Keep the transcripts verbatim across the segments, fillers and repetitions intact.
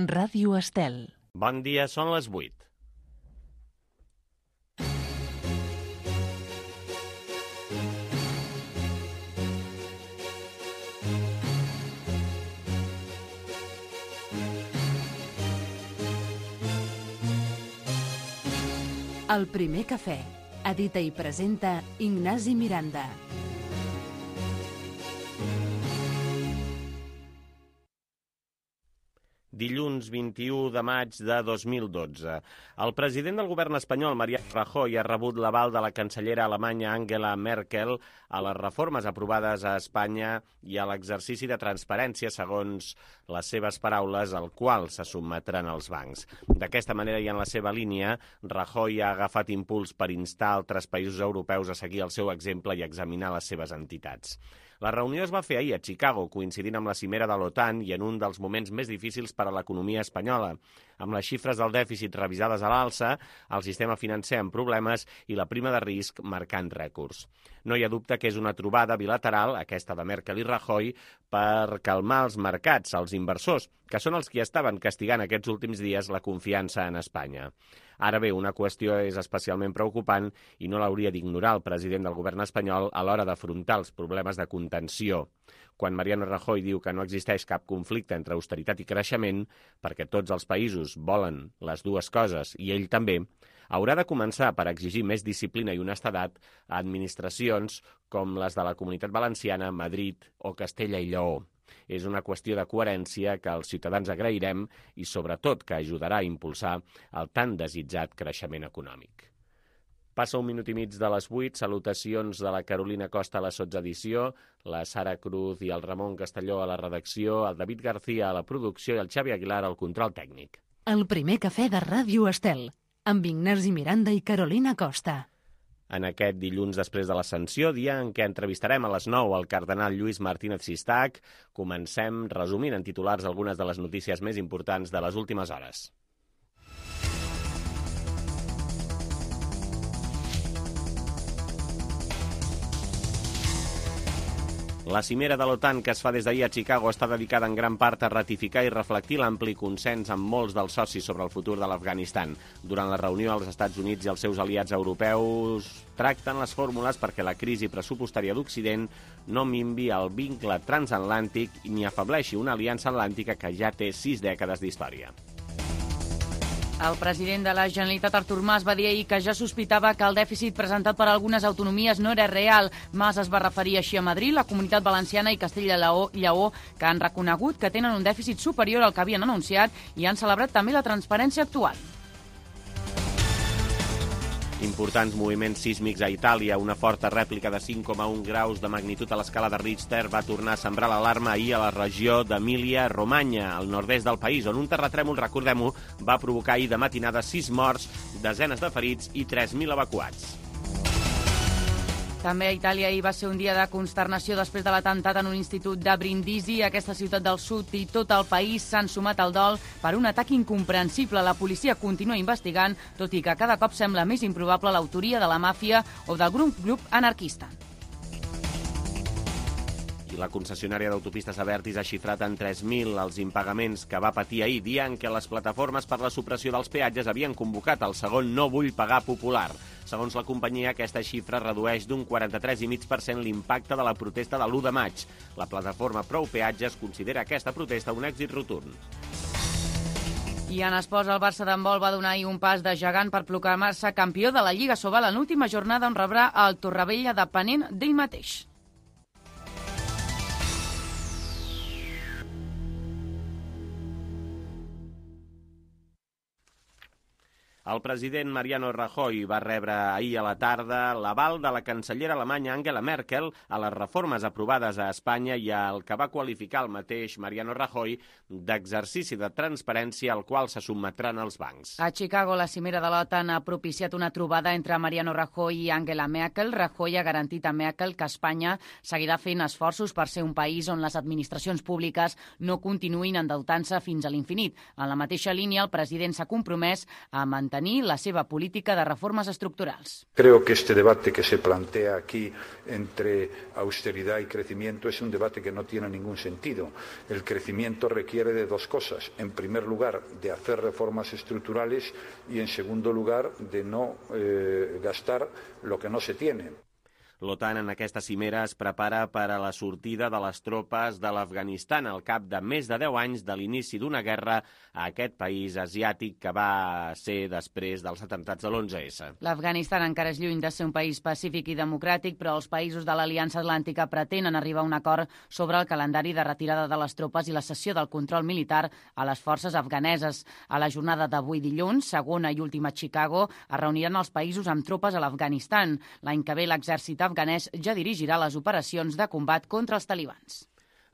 Ràdio Estel. Bon dia, són les vuit. El primer cafè. Edita i presenta Ignasi Miranda. Dilluns vint-i-u de maig de dos mil dotze. El president del govern espanyol, Mariano Rajoy, ha rebut l'aval de la cancellera alemanya Angela Merkel a les reformes aprovades a Espanya i a l'exercici de transparència, segons les seves paraules, al qual se sotmetran els bancs. D'aquesta manera i en la seva línia, Rajoy ha agafat impuls per instar altres països europeus a seguir el seu exemple i examinar les seves entitats. La reunió es va fer ahir a Chicago, coincidint amb la cimera de l'OTAN i en un dels moments més difícils per a l'economia espanyola, amb les xifres del dèficit revisades a l'alça, el sistema financer amb problemes i la prima de risc marcant rècords. No hi ha dubte que és una trobada bilateral, aquesta de Merkel i Rajoy, per calmar els mercats, els inversors, que són els qui estaven castigant aquests últims dies la confiança en Espanya. Ara bé, una qüestió és especialment preocupant i no l'hauria d'ignorar el president del govern espanyol a l'hora d'afrontar els problemes de contenció. Quan Mariano Rajoy diu que no existeix cap conflicte entre austeritat i creixement, perquè tots els països volen les dues coses i ell també, haurà de començar per exigir més disciplina i honestedat a administracions com les de la Comunitat Valenciana, Madrid o Castella i Lleó. És una qüestió de coherència que els ciutadans agrairem i, sobretot, que ajudarà a impulsar el tan desitjat creixement econòmic. Passa un minut i mig de les vuit, salutacions de la Carolina Costa a la sotsedició, la Sara Cruz i el Ramon Castelló a la redacció, el David García a la producció i el Xavi Aguilar al control tècnic. El primer cafè de Ràdio Estel, amb Ignasi Miranda i Carolina Costa. En aquest dilluns després de l'Ascensió, dia en què entrevistarem a les nou el cardenal Lluís Martínez Sistac, comencem resumint en titulars algunes de les notícies més importants de les últimes hores. La cimera de l'OTAN que es fa des d'ahir a Chicago està dedicada en gran part a ratificar i reflectir l'ampli consens amb molts dels socis sobre el futur de l'Afganistan. Durant la reunió, els Estats Units i els seus aliats europeus tracten les fórmules perquè la crisi pressupostària d'Occident no minvi el vincle transatlàntic ni afebleixi una aliança atlàntica que ja té sis dècades d'història. El president de la Generalitat, Artur Mas, va dir ahir que ja sospitava que el dèficit presentat per algunes autonomies no era real. Mas es va referir així a Madrid, la Comunitat Valenciana i Castella i Lleó, que han reconegut que tenen un dèficit superior al que havien anunciat i han celebrat també la transparència actual. Importants moviments sísmics a Itàlia. Una forta rèplica de cinc coma un graus de magnitud a l'escala de Richter va tornar a sembrar l'alarma ahir a la regió d'Emília-Romanya, al nord-est del país, on un terratrèmol, recordem-ho, va provocar ahir de matinada sis morts, desenes de ferits i tres mil evacuats. També a Itàlia ahir va ser un dia de consternació després de l'atemptat en un institut de Brindisi. Aquesta ciutat del sud i tot el país s'han sumat al dol per un atac incomprensible. La policia continua investigant, tot i que cada cop sembla més improbable l'autoria de la màfia o del grup, grup anarquista. La concessionària d'autopistes Abertis ha xifrat en tres mil els impagaments que va patir ahir, dia en què les plataformes per la supressió dels peatges havien convocat el segon No vull pagar popular. Segons la companyia, aquesta xifra redueix d'un quaranta-tres coma cinc per cent l'impacte de la protesta de l'u de maig. La plataforma Prou Peatges considera aquesta protesta un èxit rotund. I en esports, el Barça d'handbol va donar ahir un pas de gegant per proclamar-se campió de la Lliga Sobal en l'última jornada on rebrà el Torrevella depenent d'ell mateix. El president Mariano Rajoy va rebre ahir a la tarda l'aval de la cancellera alemanya Angela Merkel a les reformes aprovades a Espanya i al que va qualificar el mateix Mariano Rajoy d'exercici de transparència al qual se sotmetran els bancs. A Chicago, la cimera de l'OTAN ha propiciat una trobada entre Mariano Rajoy i Angela Merkel. Rajoy ha garantit a Merkel que Espanya seguirà fent esforços per ser un país on les administracions públiques no continuïn endeutant-se fins a l'infinit. En la mateixa línia, el president s'ha compromès a mantenir mantenir la seva política de reformes estructurals. Creo que este debate que se plantea aquí entre austeridad y crecimiento es un debate que no tiene ningún sentido. El crecimiento requiere de dos cosas. En primer lugar, de hacer reformas estructurales y en segundo lugar, de no eh, gastar lo que no se tiene. L'OTAN en aquesta cimera es prepara per a la sortida de les tropes de l'Afganistan al cap de més de deu anys de l'inici d'una guerra a aquest país asiàtic que va ser després dels atemptats de l'onze esse. L'Afganistan encara és lluny de ser un país pacífic i democràtic, però els països de l'Aliança Atlàntica pretenen arribar a un acord sobre el calendari de retirada de les tropes i la cessió del control militar a les forces afganeses. A la jornada d'avui dilluns, segona i última a Chicago, es reuniran els països amb tropes a l'Afganistan. L'any que ve l'exèrcit afganès ja dirigirà les operacions de combat contra els talibans.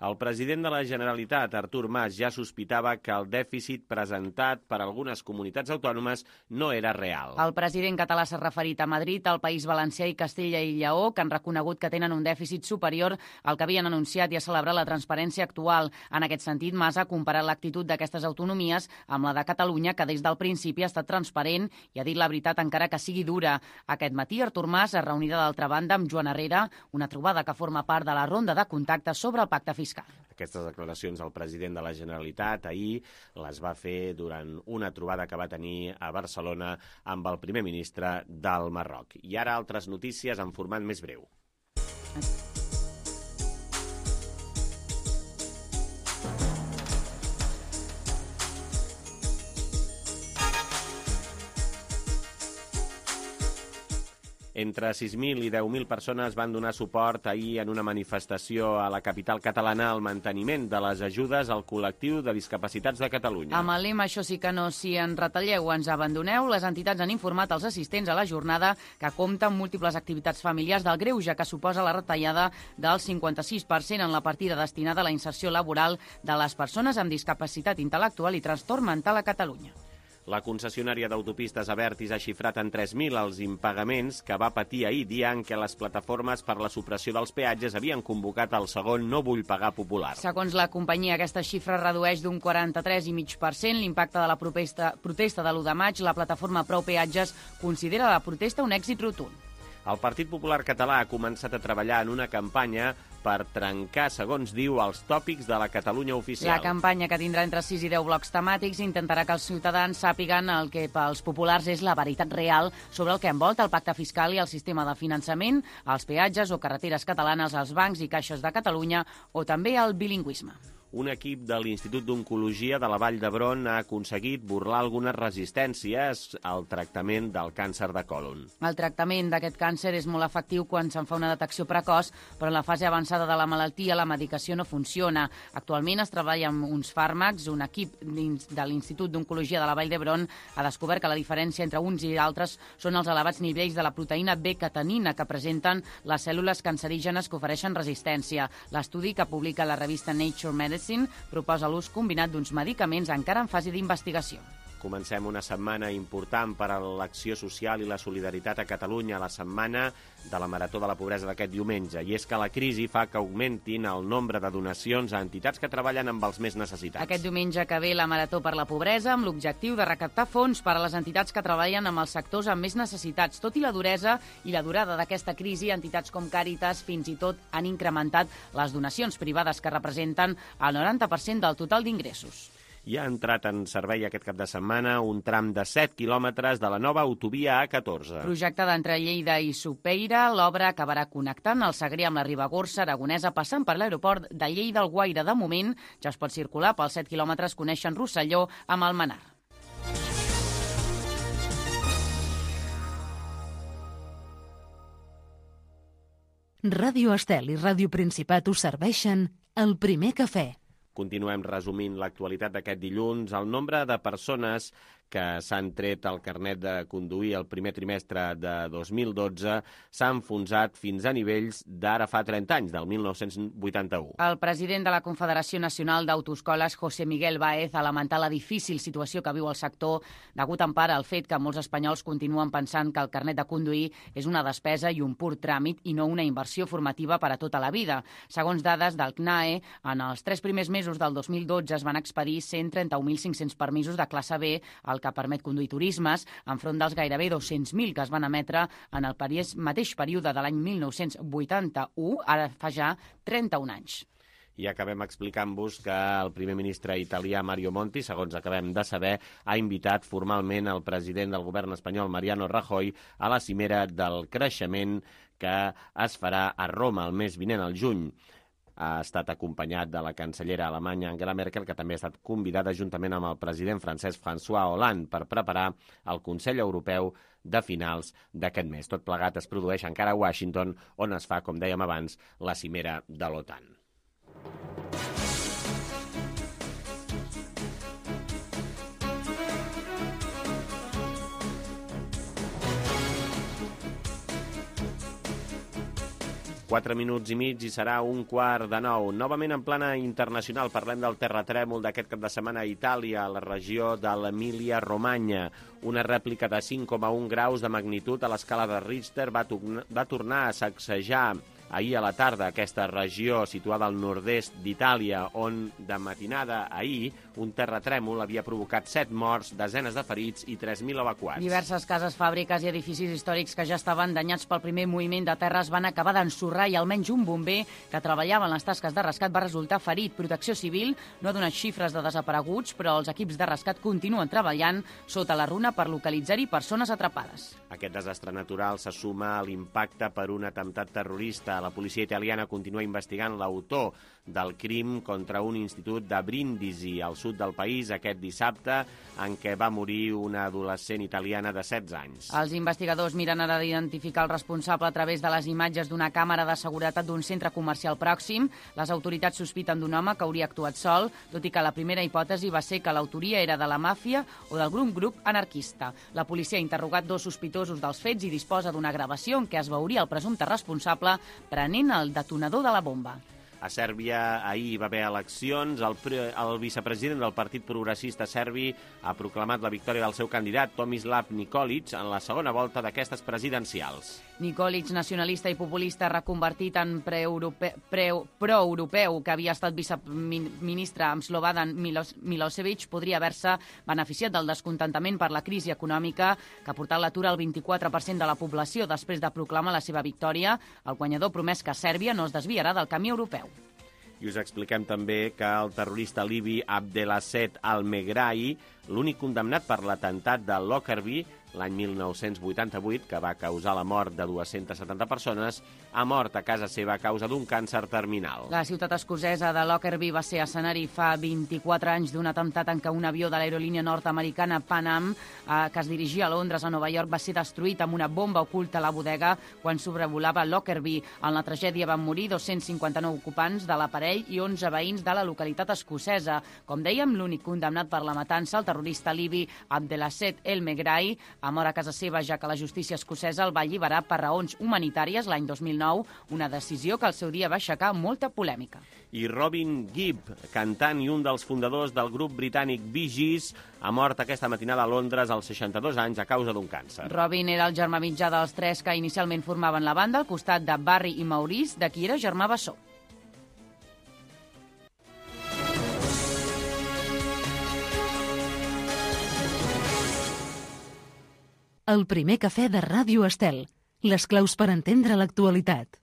El president de la Generalitat, Artur Mas, ja sospitava que el dèficit presentat per algunes comunitats autònomes no era real. El president català s'ha referit a Madrid, al País Valencià i Castella i Lleó, que han reconegut que tenen un dèficit superior al que havien anunciat i ha celebrat la transparència actual. En aquest sentit, Mas ha comparat l'actitud d'aquestes autonomies amb la de Catalunya, que des del principi ha estat transparent i ha dit la veritat encara que sigui dura. Aquest matí, Artur Mas es reunirà d'altra banda amb Joan Herrera, una trobada que forma part de la ronda de contactes sobre el pacte fiscal. Aquestes declaracions del president de la Generalitat ahir les va fer durant una trobada que va tenir a Barcelona amb el primer ministre del Marroc. I ara altres notícies en format més breu. Entre sis mil i deu mil persones van donar suport ahir en una manifestació a la capital catalana al manteniment de les ajudes al col·lectiu de discapacitats de Catalunya. Amb el lema "Això sí que no, si en retalleu ens abandoneu", les entitats han informat als assistents a la jornada que compta amb múltiples activitats familiars del greuge que suposa la retallada del cinquanta-sis per cent en la partida destinada a la inserció laboral de les persones amb discapacitat intel·lectual i trastorn mental a Catalunya. La concessionària d'autopistes Abertis ha xifrat en tres mil els impagaments que va patir ahir, dia en què les plataformes per la supressió dels peatges havien convocat el segon No vull pagar popular. Segons la companyia, aquesta xifra redueix d'un quaranta-tres coma cinc per cent l'impacte de la protesta, protesta de l'u de maig. La plataforma Prou Peatges considera la protesta un èxit rotund. El Partit Popular Català ha començat a treballar en una campanya per trencar, segons diu, els tòpics de la Catalunya oficial. La campanya, que tindrà entre sis i deu blocs temàtics, intentarà que els ciutadans sàpiguen el que pels populars és la veritat real sobre el que envolta el pacte fiscal i el sistema de finançament, els peatges o carreteres catalanes, els bancs i caixes de Catalunya o també el bilingüisme. Un equip de l'Institut d'Oncologia de la Vall d'Hebron ha aconseguit burlar algunes resistències al tractament del càncer de còlon. El tractament d'aquest càncer és molt efectiu quan se'n fa una detecció precoç, però en la fase avançada de la malaltia la medicació no funciona. Actualment es treballa amb uns fàrmacs. Un equip de l'Institut d'Oncologia de la Vall d'Hebron ha descobert que la diferència entre uns i altres són els elevats nivells de la proteïna B-catenina que presenten les cèl·lules cancerígenes que ofereixen resistència. L'estudi, que publica la revista Nature Medicine, proposa l'ús combinat d'uns medicaments encara en fase d'investigació. Comencem una setmana important per a l'acció social i la solidaritat a Catalunya, la setmana de la Marató de la Pobresa d'aquest diumenge. I és que la crisi fa que augmentin el nombre de donacions a entitats que treballen amb els més necessitats. Aquest diumenge que ve la Marató per la Pobresa amb l'objectiu de recaptar fons per a les entitats que treballen amb els sectors amb més necessitats. Tot i la duresa i la durada d'aquesta crisi, entitats com Càritas fins i tot han incrementat les donacions privades que representen el noranta per cent del total d'ingressos. I ha entrat en servei aquest cap de setmana un tram de set quilòmetres de la nova autovia A catorze. Projectada entre Lleida i Sopeira, l'obra acabarà connectant el Segrià amb la Ribagorça aragonesa, passant per l'aeroport de Lleida-Alguaire. De moment ja es pot circular pels set quilòmetres que uneixen Rosselló amb Almenar. Ràdio Estel i Ràdio Principat us serveixen el primer cafè. Continuem resumint l'actualitat d'aquest dilluns. El nombre de persones que s'han tret el carnet de conduir el primer trimestre de dos mil dotze s'ha enfonsat fins a nivells d'ara fa trenta anys, del mil nou-cents vuitanta-u. El president de la Confederació Nacional d'Autoescoles, José Miguel Baez, ha lamentat la difícil situació que viu el sector, degut en part al fet que molts espanyols continuen pensant que el carnet de conduir és una despesa i un pur tràmit i no una inversió formativa per a tota la vida. Segons dades del C N A E, en els tres primers mesos del dos mil dotze es van expedir cent trenta-un mil cinc-cents permisos de classe B a el que permet conduir turismes, enfront dels gairebé dos-cents mil que es van emetre en el mateix període de l'any mil nou-cents vuitanta-u, ara fa ja trenta-un anys. I acabem explicant-vos que el primer ministre italià Mario Monti, segons acabem de saber, ha invitat formalment el president del govern espanyol Mariano Rajoy a la cimera del creixement que es farà a Roma el mes vinent, al juny. Ha estat acompanyat de la cancellera alemanya Angela Merkel, que també ha estat convidada juntament amb el president francès François Hollande per preparar el Consell Europeu de finals d'aquest mes. Tot plegat es produeix encara a Washington, on es fa, com dèiem abans, la cimera de l'OTAN. Quatre minuts i mig i serà un quart de nou. Novament en plana internacional parlem del terratrèmol d'aquest cap de setmana a Itàlia, a la regió de l'Emília-Romanya. Una rèplica de cinc coma un graus de magnitud a l'escala de Richter va, va tornar a sacsejar ahir a la tarda aquesta regió situada al nord-est d'Itàlia, on de matinada ahir un terratrèmol havia provocat set morts, desenes de ferits i tres mil evacuats. Diverses cases, fàbriques i edificis històrics que ja estaven danyats pel primer moviment de terres van acabar d'ensorrar i almenys un bomber que treballava en les tasques de rescat va resultar ferit. Protecció Civil no ha donat xifres de desapareguts, però els equips de rescat continuen treballant sota la runa per localitzar-hi persones atrapades. Aquest desastre natural se suma a l'impacte per un atemptat terrorista. La policia italiana continua investigant l'autor del crim contra un institut de Brindisi, al sud del país, aquest dissabte, en què va morir una adolescent italiana de setze anys. Els investigadors miren ara d'identificar el responsable a través de les imatges d'una càmera de seguretat d'un centre comercial pròxim. Les autoritats sospiten d'un home que hauria actuat sol, tot i que la primera hipòtesi va ser que l'autoria era de la màfia o d'algun grup anarquista. La policia ha interrogat dos sospitosos dels fets i disposa d'una gravació en què es veuria el presumpte responsable prenent el detonador de la bomba. A Sèrbia ahir va haver eleccions. El, pre el vicepresident del Partit Progressista serbi ha proclamat la victòria del seu candidat, Tomislav Nikolic, en la segona volta d'aquestes presidencials. Nikolic, nacionalista i populista reconvertit en pro-europeu, que havia estat viceministre amb Slobodan Milosevic, podria haver-se beneficiat del descontentament per la crisi econòmica que ha portat l'atur al vint-i-quatre per cent de la població després de proclamar la seva victòria. El guanyador promès que Sèrbia no es desviarà del camí europeu. I us expliquem també que el terrorista libi Abdelaziz Al-Megrahi, l'únic condemnat per l'atemptat de Lockerbie l'any mil nou-cents vuitanta-vuit, que va causar la mort de dues-centes setanta persones, ha mort a casa seva a causa d'un càncer terminal. La ciutat escocesa de Lockerbie va ser escenari fa vint-i-quatre anys d'un atemptat en què un avió de l'aerolínia nord-americana Pan Am, eh, que es dirigia a Londres a Nova York, va ser destruït amb una bomba oculta a la bodega quan sobrevolava Lockerbie. En la tragèdia van morir dos-cents cinquanta-nou ocupants de l'aparell i onze veïns de la localitat escocesa. Com dèiem, l'únic condemnat per la matança, el terrorista libi Abdelaziz El-Megrahi, ha mort a casa seva, ja que la justícia escocesa el va alliberar per raons humanitàries l'any dos mil nou, una decisió que al seu dia va aixecar molta polèmica. I Robin Gibb, cantant i un dels fundadors del grup britànic Bee Gees, ha mort aquesta matinada a Londres als seixanta-dos anys a causa d'un càncer. Robin era el germà mitjà dels tres que inicialment formaven la banda, al costat de Barry i Maurice, de qui era germà bessó. El primer cafè de Ràdio Estel. Les claus per entendre l'actualitat.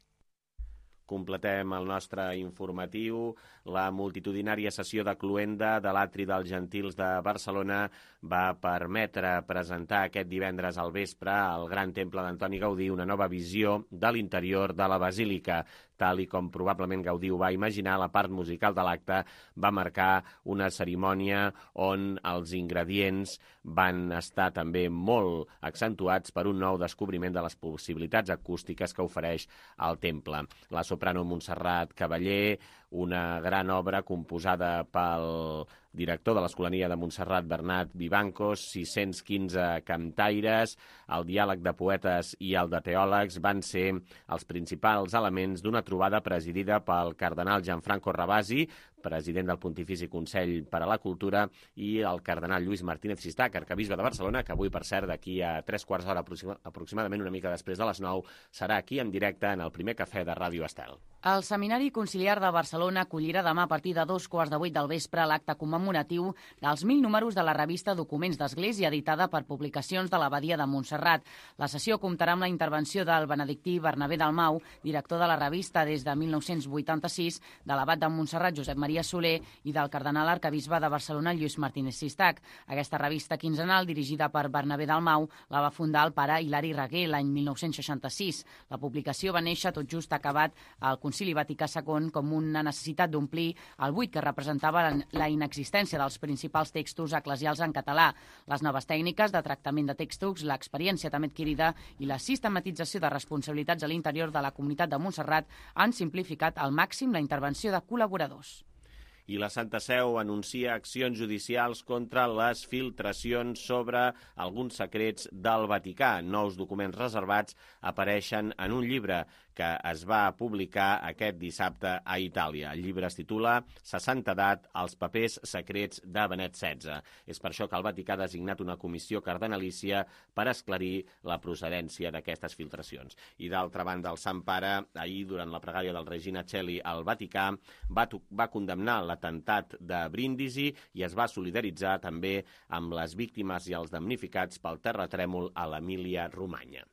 Completem el nostre informatiu. La multitudinària sessió de cloenda de l'Atri dels Gentils de Barcelona va permetre presentar aquest divendres al vespre al Gran Temple d'Antoni Gaudí una nova visió de l'interior de la Basílica. Tal i com probablement Gaudí ho va imaginar, la part musical de l'acte va marcar una cerimònia on els ingredients van estar també molt accentuats per un nou descobriment de les possibilitats acústiques que ofereix el temple. La soprano Montserrat Cavaller, una gran obra composada pel director de l'Escolania de Montserrat, Bernat Vivancos, sis-cents quinze cantaires, el diàleg de poetes i el de teòlegs van ser els principals elements d'una trobada presidida pel cardenal Gianfranco Ravasi, president del Pontifici Consell per a la Cultura, i el cardenal Lluís Martínez Sistac, arcabisbe de Barcelona, que avui, per cert, d'aquí a tres quarts d'hora aproximadament, una mica després de les nou, serà aquí en directe en el primer cafè de Ràdio Estel. El Seminari Conciliar de Barcelona acollirà demà a partir de dos quarts de vuit del vespre l'acte commemoratiu dels mil números de la revista Documents d'Església, editada per Publicacions de l'Abadia de Montserrat. La sessió comptarà amb la intervenció del benedictí Bernabé Dalmau, director de la revista des de mil nou-cents vuitanta-sis, de l'abat de Montserrat Josep Maria Soler i del cardenal arcabisbe de Barcelona Lluís Martínez Sistac. Aquesta revista quinzenal, dirigida per Bernabé Dalmau, la va fundar el pare Hilari Reguer l'any mil nou-cents seixanta-sis. La publicació va néixer tot just acabat el Concili Vaticà segon com una necessitat d'omplir el buit que representava la inexistència dels principals textos eclesials en català. Les noves tècniques de tractament de textos, l'experiència també adquirida i la sistematització de responsabilitats a l'interior de la comunitat de Montserrat han simplificat al màxim la intervenció de col·laboradors. I la Santa Seu anuncia accions judicials contra les filtracions sobre alguns secrets del Vaticà. Nous documents reservats apareixen en un llibre que es va publicar aquest dissabte a Itàlia. El llibre es titula seixanta edat, els papers secrets de Benet setze. És per això que el Vaticà ha designat una comissió cardenalícia per esclarir la procedència d'aquestes filtracions. I d'altra banda, el Sant Pare, ahir, durant la pregària del Regina Coeli al Vaticà, va, va condemnar l'atemptat de Brindisi i es va solidaritzar també amb les víctimes i els damnificats pel terratrèmol a l'Emília-Romanya.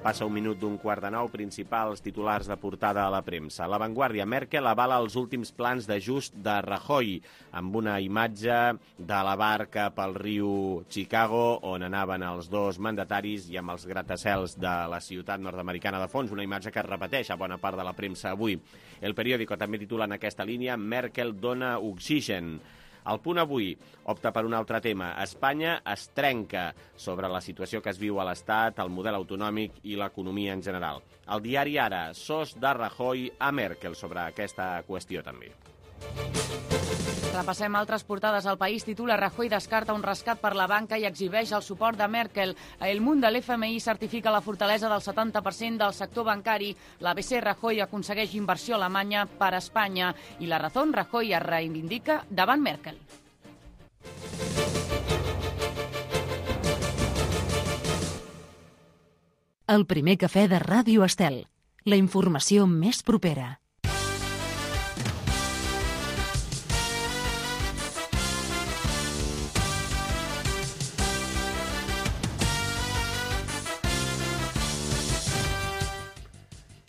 Passa un minut d'un quart de nou, principals titulars de portada a la premsa. La Vanguardia, Merkel avala els últims plans d'ajust de Rajoy, amb una imatge de la barca pel riu Chicago, on anaven els dos mandataris i amb els gratacels de la ciutat nord-americana de fons, una imatge que es repeteix a bona part de la premsa avui. El Periódico també titula en aquesta línia Merkel dona oxigen. El Punt avui opta per un altre tema. Espanya es trenca sobre la situació que es viu a l'Estat, el model autonòmic i l'economia en general. El diari Ara, sos de Rajoy a Merkel sobre aquesta qüestió també. Repassem altres portades. El País titula Rajoy descarta un rescat per la banca i exhibeix el suport de Merkel. El Munt de l'F M I certifica la fortalesa del setanta per cent del sector bancari. L'A B C, Rajoy aconsegueix inversió alemanya per a Espanya. I La Razón, Rajoy es reivindica davant Merkel. El primer cafè de Ràdio Estel. La informació més propera.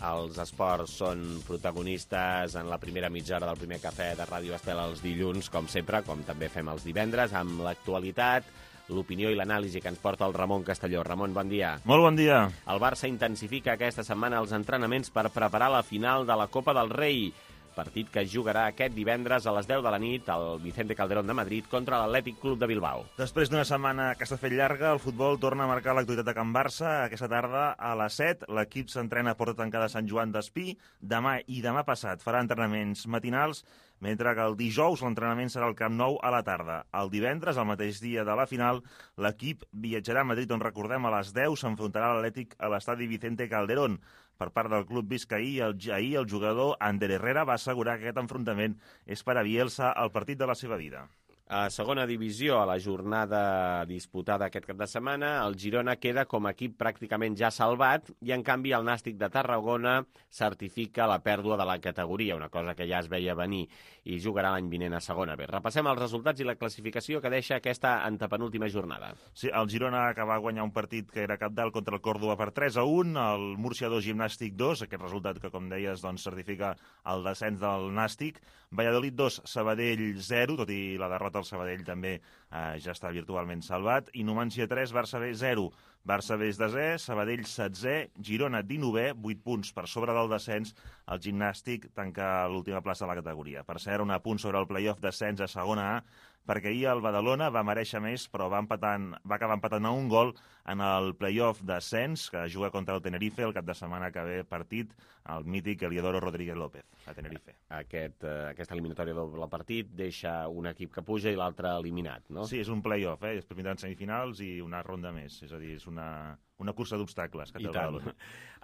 Els esports són protagonistes en la primera mitja hora del primer cafè de Ràdio Estel els dilluns, com sempre, com també fem els divendres, amb l'actualitat, l'opinió i l'anàlisi que ens porta el Ramon Castelló. Ramon, bon dia. Molt bon dia. El Barça intensifica aquesta setmana els entrenaments per preparar la final de la Copa del Rei, partit que es jugarà aquest divendres a les deu de la nit al Vicente Calderón de Madrid contra l'Atlètic Club de Bilbao. Després d'una setmana que s'ha fet llarga, el futbol torna a marcar l'actualitat de Can Barça. Aquesta tarda a les set l'equip s'entrena a Porta Tancada Sant Joan d'Espí. Demà i demà passat farà entrenaments matinals, mentre que el dijous l'entrenament serà al Camp Nou a la tarda. El divendres, el mateix dia de la final, l'equip viatjarà a Madrid, on recordem a les deu s'enfrontarà l'Atlètic a l'estadi Vicente Calderón. Per part del club biscaí, el, ahir el jugador Ander Herrera va assegurar que aquest enfrontament és per a Bielsa el partit de la seva vida. A segona divisió, a la jornada disputada aquest cap de setmana, el Girona queda com a equip pràcticament ja salvat i, en canvi, el Nàstic de Tarragona certifica la pèrdua de la categoria, una cosa que ja es veia venir, i jugarà l'any vinent a segona B. Repassem els resultats i la classificació que deixa aquesta antepenúltima jornada. Sí, el Girona acaba de guanyar un partit que era cabdal contra el Còrdova per tres a un, el Múrcia dos, Gimnàstic dos, aquest resultat que, com deies, doncs, certifica el descens del Nàstic, Valladolid dos, Sabadell zero, tot i la derrota el Sabadell també eh, ja està virtualment salvat, i Numància tres, Barça B zero. Barça B és desè, Sabadell setzè, Girona dinovè, vuit punts per sobre del descens. El Gimnàstic tanca l'última plaça de la categoria. Per cert, un apunt sobre el play-off descens a segona A, perquè ahir el Badalona va mereixer més, però va, empatant, va acabar empatant a un gol en el play-off descens, que juga contra el Tenerife el cap de setmana que ve partit, el mític Eliodoro Rodríguez López, a Tenerife. Aquest, eh, aquesta eliminatòria doble partit deixa un equip que puja i l'altre eliminat, no? Sí, és un play-off, eh? Després vindran semifinals i una ronda més, és a dir, és una... una cursa d'obstacles que té el Badalona.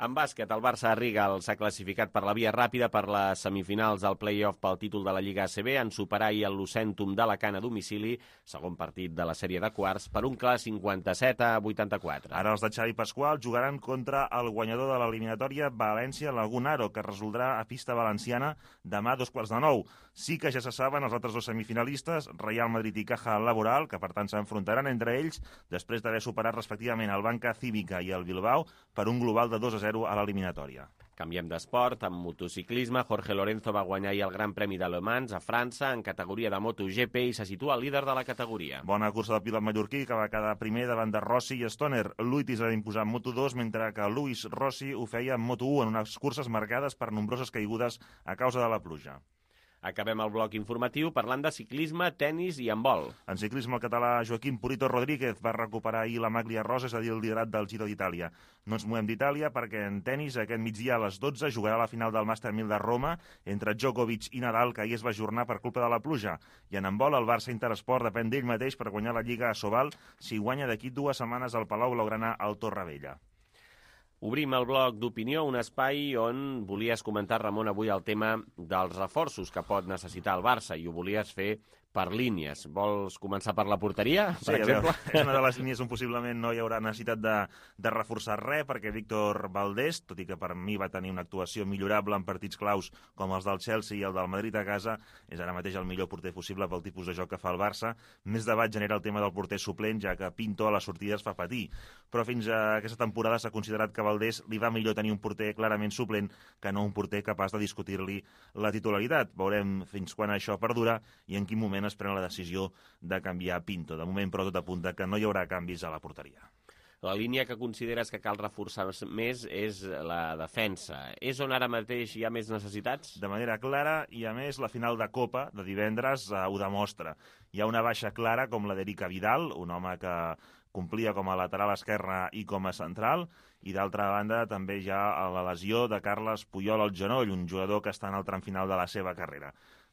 En bàsquet, el Barça Rigal s'ha classificat per la via ràpida per les semifinals del play-off pel títol de la Lliga A C B, en superar ahir el Lucentum d'Alacant a domicili, segon partit de la sèrie de quarts, per un clar cinquanta-set a vuitanta-quatre. Ara els de Xavi Pasqual jugaran contra el guanyador de l'eliminatòria València-Lagunaro, que es resoldrà a pista valenciana demà a dos quarts de nou. Sí que ja se saben els altres dos semifinalistes, Real Madrid i Caja Laboral, que per tant s'enfrontaran entre ells després d'haver superat respectivament el Banca Cívica i el Bilbao per un global de dos a zero a l'eliminatòria. Canviem d'esport. En motociclisme, Jorge Lorenzo va guanyar ahir el Gran Premi de Le Mans a França en categoria de MotoGP i se situa líder de la categoria. Bona cursa del pilot mallorquí, que va quedar primer davant de Rossi i Stoner. Luitis va imposar en Moto dos, mentre que Luis Rossi ho feia en Moto u en unes curses marcades per nombroses caigudes a causa de la pluja. Acabem el bloc informatiu parlant de ciclisme, tennis i handbol. En ciclisme, el català Joaquim Purito Rodríguez va recuperar ahir la maglia rosa, és a dir, el liderat del Giro d'Itàlia. No ens movem d'Itàlia perquè en tennis aquest migdia a les dotze jugarà la final del Màster mil de Roma entre Djokovic i Nadal, que ahir es va ajornar per culpa de la pluja. I en handbol, el Barça Interesport depèn d'ell mateix per guanyar la Lliga a Sobal si guanya d'aquí dues setmanes al Palau Blaugrana al Torrevella. Obrim el bloc d'opinió, un espai on volies comentar, Ramon, avui el tema dels reforços que pot necessitar el Barça, i ho volies fer per línies. Vols començar per la porteria, per sí, exemple? És una de les línies on possiblement no hi haurà necessitat de, de reforçar res, perquè Víctor Valdés, tot i que per mi va tenir una actuació millorable en partits claus com els del Chelsea i el del Madrid a casa, és ara mateix el millor porter possible pel tipus de joc que fa el Barça. Més debat genera el tema del porter suplent, ja que Pinto a les sortides fa patir. Però fins a aquesta temporada s'ha considerat que a Valdés li va millor tenir un porter clarament suplent que no un porter capaç de discutir-li la titularitat. Veurem fins quan això perdura i en quin moment es pren la decisió de canviar Pinto. De moment, però, tot apunta que no hi haurà canvis a la porteria. La línia que consideres que cal reforçar més és la defensa. És on ara mateix hi ha més necessitats? De manera clara, i a més la final de Copa de divendres eh, ho demostra. Hi ha una baixa clara com la d'Eric Vidal, un home que complia com a lateral esquerre i com a central, i d'altra banda també hi ha la lesió de Carles Puyol al genoll, un jugador que està en el tram final de la seva carrera.